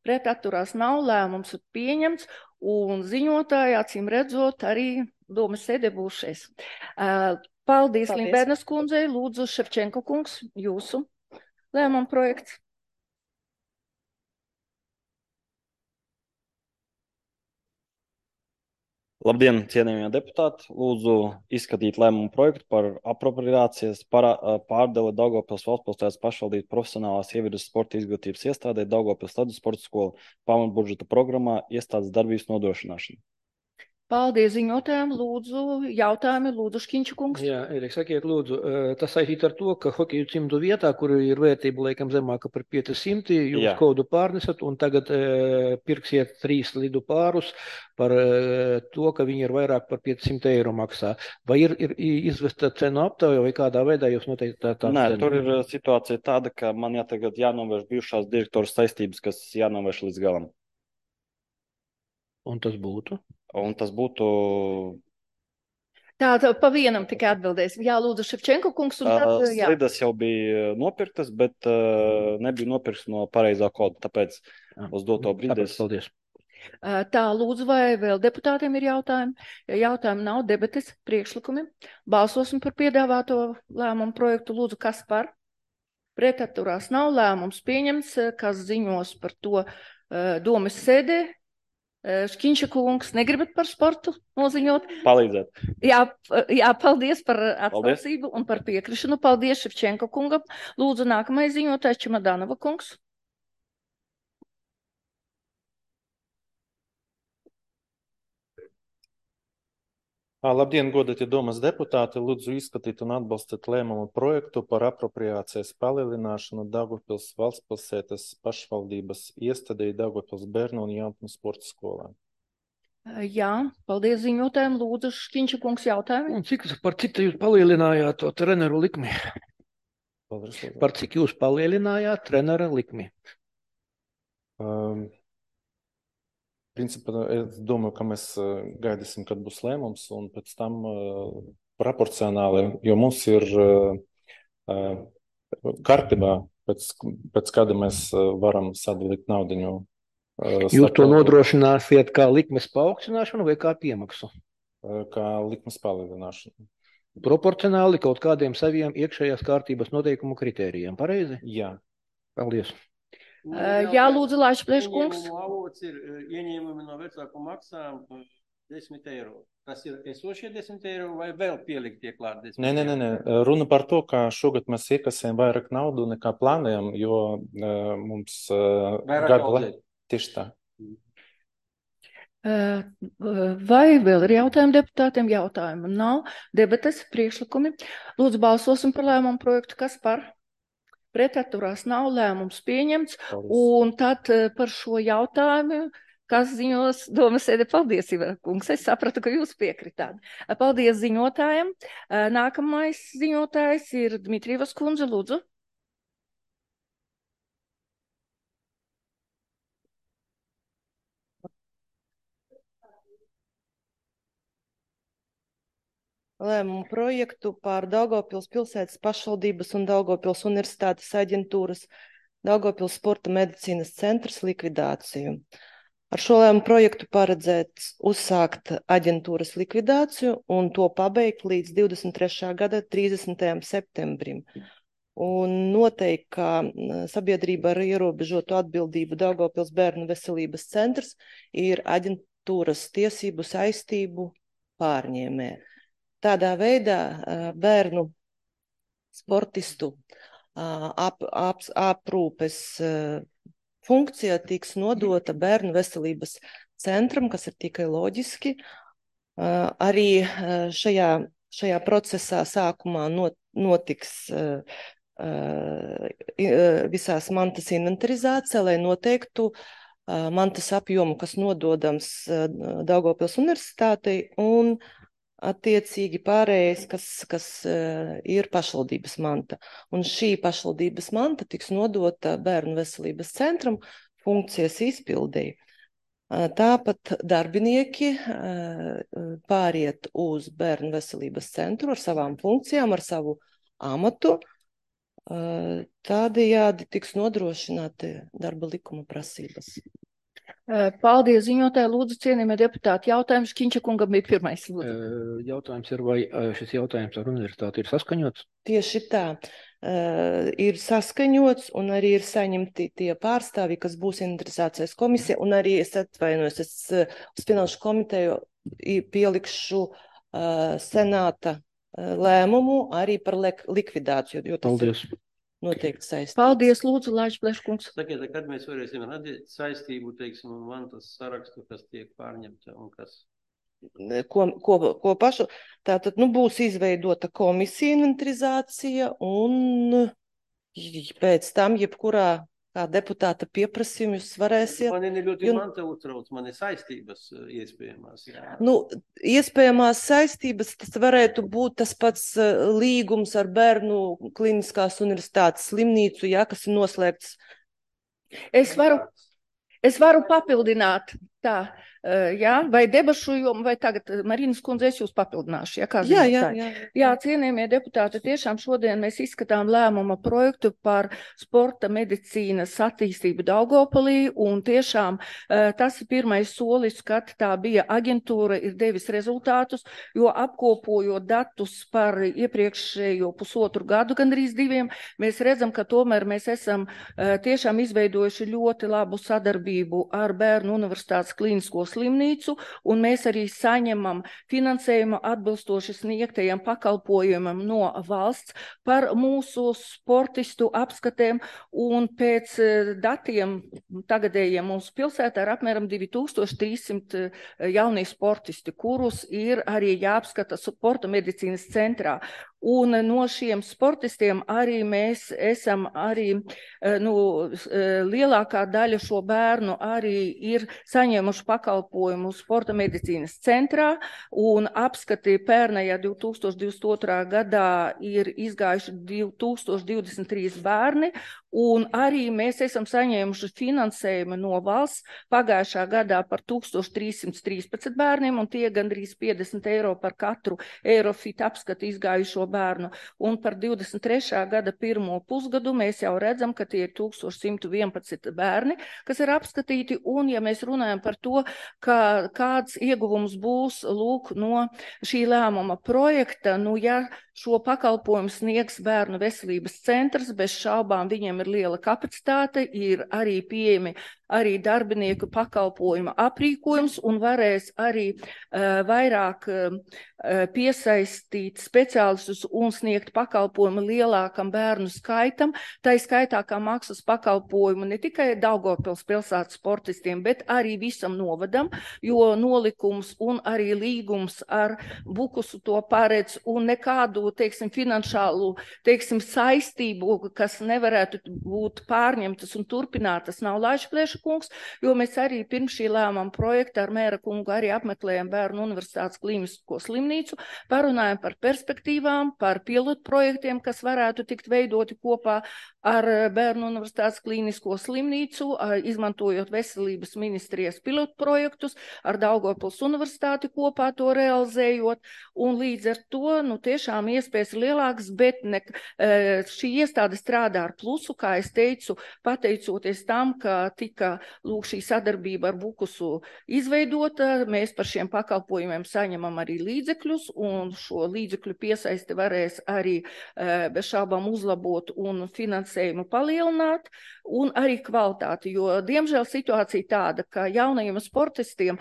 Pret atturās nav. Lēmums ir pieņemts. Un ziņotāji, acīm redzot, arī domas sēdē būs šeit. Paldies, Limbērnas kundzei. Lūdzu, Ševčenko kungs, jūsu lēmumu projekts.
Labdien, cienījamie deputāti! Lūdzu izskatīt lēmumu projektu par apropriācijas pārdali Daugavpils valstspilsētas pašvaldības profesionālās ievides sporta izglītības iestādē Daugavpils ledus sporta skola pamatbudžeta programmā iestādes darbības nodrošināšana.
Paldies ziņotājiem. Lūdzu, jautājumi. Lūdzu, Škiņča kungs.
Jā, Erika, sakiet, lūdzu, tas saistīt ar to, ka hokeju cimdu vietā, kur ir vērtība laikam zemāka par 500, jūs kodu pārnesat un tagad pirksiet 3 lidu pārus par to, ka viņi ir vairāk par 500 eiro maksā. Vai ir izvesta cenu aptauja vai kādā veidā jūs noteikti tādu cenu?
Nē, tur ir situācija tāda, ka man tagad jānovērš bijušās direktoras saistības, kas jānovērš līdz galam.
Un tas būtu?
Un tas būtu...
Tā pa vienam tikai atbildēs. Jā, lūdzu, Ševčenko kungs. Un tad,
slidas jau bija nopirktas, bet nebija nopirktas no pareizā koda, tāpēc uz doto brīdi.
Paldies.
Tā, lūdzu, vai vēl deputātiem ir jautājumi? Ja jautājumi nav, debates, priekšlikumi. Balsosim par piedāvāto lēmumu projektu. Lūdzu, kas par? Pret atturās nav. Lēmums pieņemts, kas ziņos par to domes sēdē. Škiņša kungs, negribat par sportu noziņot?
Palīdzēt.
Jā, paldies par atsaucību un par piekrišanu. Paldies Ševčenko kungam. Lūdzu, nākamais ziņotājs Čemadanova kungs.
Labdien, godātie domas deputāti! Lūdzu izskatīt un atbalstīt lēmumu projektu par apropriācijas palielināšanu Daugavpils valstspilsētas pašvaldības iestādei Daugavpils bērnu un jaunu sporta skolā.
Jā, paldies ziņotājiem. Lūdzu, Škiņša kungs, jautājumi.
Un cik jūs palielinājāt to treneru likmi? Par cik jūs palielinājāt treneru likmi?
Principā, es domāju, ka mēs gaidīsim, kad būs lēmums, un pēc tam proporcionāli, jo mums ir kārtībā, pēc kāda mēs varam sadalīt naudiņu.
Jūs to nodrošināsiet kā likmes paaugstināšanu vai kā piemaksu?
Kā likmes palielināšanu.
Proporcionāli kaut kādiem saviem iekšējās kārtības noteikumu kritērijiem, pareizi?
Jā.
Paldies.
Jā, lūdzu, Laišplēš kungs.
Avots ir ieņēmumi no vecāku maksām 10 eiro. Tas ir esošie 10 eiro vai vēl pieliktie klāt 10 eiro?
Nē. Runa par to, ka šogad mēs iekasējam vairāk naudu nekā plānējam, jo mums gada tieši tā.
Vai vēl ir jautājumi deputātiem? Jautājumu nav. Debates, priekšlikumi. Lūdzu, balsosim par lēmumu projektu. Kas par? Pret atturās nav. Lēmums pieņemts. Un tad par šo jautājumu, kas ziņos domas sēdē. Paldies, Ivar kungs. Es sapratu, ka jūs piekritāt. Paldies ziņotājiem. Nākamais ziņotājs ir Dmitrievas kundze. Lūdzu.
Lēmumu projektu par Daugavpils pilsētas pašvaldības un Daugavpils universitātes aģentūras Daugavpils sporta medicīnas centrs likvidāciju. Ar šo lēmumu projektu paredzēts uzsākt aģentūras likvidāciju un to pabeigt līdz 23. gada 30. septembrim. Un noteikti, ka sabiedrība ar ierobežotu atbildību Daugavpils bērnu veselības centrs ir aģentūras tiesību saistību pārņēmē. Tādā veidā bērnu sportistu aprūpes funkcija tiks nodota bērnu veselības centram, kas ir tikai loģiski. Arī šajā procesā sākumā notiks visās mantas inventarizācija, lai noteiktu mantas apjomu, kas nododams Daugavpils universitātei, un attiecīgi pārējais, kas ir pašvaldības manta. Un šī pašvaldības manta tiks nodota bērnu veselības centram funkcijas izpildēji. Tāpat darbinieki pāriet uz bērnu veselības centru ar savām funkcijām, ar savu amatu. Tādējādi tiks nodrošināti darba likuma prasības.
Paldies, ziņotāji. Lūdzu, cienījamie deputāti, jautājums Škiņša kungam bija pirmais.
Jautājums ir, vai šis jautājums ar universitāti ir saskaņots?
Tieši tā. Ir saskaņots un arī ir saņemti tie pārstāvji, kas būs inventarizācijas komisija, un arī es atvainojos, uz finanšu komiteju pielikšu senāta lēmumu arī par likvidāciju.
Paldies.
Noteikti saistīts.
Paldies, lūdzu, Laiž Pleškungs.
Sakiet, kad mēs varēsim redzēt saistību, teiksim, un mantas sarakstu, kas tiek pārņemta un kas?
Ko pašu? Tātad, būs izveidota komisija inventarizācija un pēc tam, jebkurā kā deputāta pieprasījumu jūs varēsiet.
Man ir ļoti manta uztrauc, man ir saistības iespējamās. Jā.
Iespējamās saistības, tas varētu būt tas pats līgums ar Bērnu Kliniskās universitātes slimnīcu, kas ir noslēgts.
Es varu papildināt tā. Vai debašu jomu, vai tagad, Marinas kundze, es jūs papildināšu. Jā, cienījamie deputāti, tiešām šodien mēs izskatām lēmuma projektu par sporta medicīnas attīstību Daugavpilī, un tiešām tas ir pirmais solis, kad tā bija aģentūra, ir devis rezultātus, jo apkopojot datus par iepriekšējo pusotru gadu, gandrīz 2, mēs redzam, ka tomēr mēs esam tiešām izveidojuši ļoti labu sadarbību ar Bērnu universitātes klīnisko slimnīcu, un mēs arī saņemam finansējumu atbilstoši sniegtajiem pakalpojumam no valsts par mūsu sportistu apskatēm, un pēc datiem tagadējiem mūsu pilsētā ir apmēram 2300 jaunie sportisti, kurus ir arī jāapskata sporta medicīnas centrā. Un no šiem sportistiem arī mēs esam lielākā daļa šo bērnu arī ir saņēmuši pakalpojumu sporta medicīnas centrā, un apskati pērnajā 2022. gadā ir izgājuši 2023 bērni, un arī mēs esam saņēmuši finansējumu no valsts pagājušā gadā par 1313 bērniem, un tie gandrīz 50 eiro par katru Eirofit apskatu izgājušo bērnu. Un par 23. gada pirmo pusgadu mēs jau redzam, ka tie ir 1111 bērni, kas ir apskatīti, un ja mēs runājam par to, kāds ieguvums būs no šī lēmuma projekta, ja šo pakalpojumu sniegs Bērnu veselības centrs, bez šaubām viņiem ir liela kapacitāte, ir arī pieejami arī darbinieku pakalpojuma aprīkojums, un varēs arī vairāk piesaistīt speciālistus un sniegt pakalpojumu lielākam bērnu skaitam, tā skaitā kā maksas pakalpojumu ne tikai Daugavpils pilsētas sportistiem, bet arī visam novadam, jo nolikums un arī līgums ar Bukusu to paredz, un nekādu, finanšālu, saistību, kas nevarētu būt pārņemtas un turpinātas, nav Laiž Pleškungs, jo mēs arī pirms šī lēmuma projekta ar mēra kungu arī apmeklējam Bērnu universitātes klīnisko slimnīcu, parunājam par perspektīvām, par pilotprojektiem, kas varētu tikt veidoti kopā ar Bērnu Universitātes klīnisko slimnīcu, izmantojot veselības ministrijas pilotprojektus, ar Daugavpils Universitāti kopā to realizējot, un līdz ar to, tiešām iespējas lielākas, bet šī iestāde strādā ar plusu, kā es teicu, pateicoties tam, ka tika šī sadarbība ar Bukusu izveidota, mēs par šiem pakalpojumiem saņemam arī līdzekļus, un šo līdzekļu piesaisti varēs arī bez šaubām uzlabot un finansējumu palielināt, un arī kvalitāti, jo, diemžēl, situācija tāda, ka jaunajiem sportistiem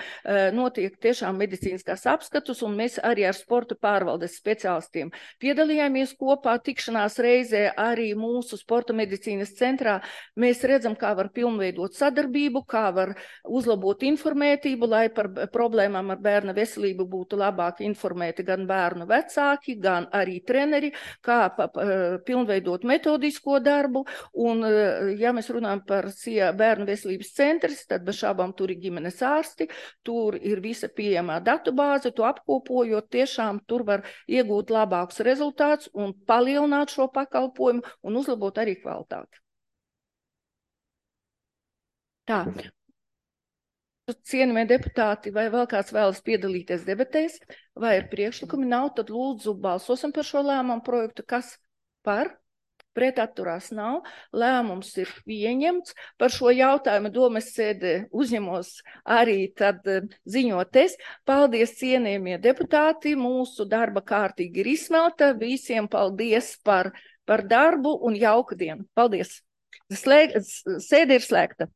notiek tiešām medicīniskās apskatus, un mēs arī ar sporta pārvaldes speciālistiem piedalījāmies kopā tikšanās reizē arī mūsu sporta medicīnas centrā. Mēs redzam, kā var pilnveidot sadarbību, kā var uzlabot informētību, lai par problēmām ar bērna veselību būtu labāk informēti gan bērnu vecāki, gan arī treneri, kā pilnveidot metodisko darbu, un, ja mēs runājam par bērnu veselības centrs, tad bez šābām tur ir ģimenes ārsti, tur ir visa pieejamā datubāze, to apkopojot, tiešām tur var iegūt labākus rezultātus un palielināt šo pakalpojumu un uzlabot arī kvalitāti. Tā. Cienījamie deputāti, vai vēl kāds vēlas piedalīties debatēs, vai ir priekšlikumi nav, tad lūdzu balsosim par šo lēmumu projektu. Kas par? Pret atturās nav. Lēmums ir pieņemts. Par šo jautājumu domes sēdē uzņemos arī tad ziņot es. Paldies, cienījamie deputāti. Mūsu darba kārtīgi ir izsmelta. Visiem paldies par darbu un jauku dienu. Paldies. Sēde ir slēgta.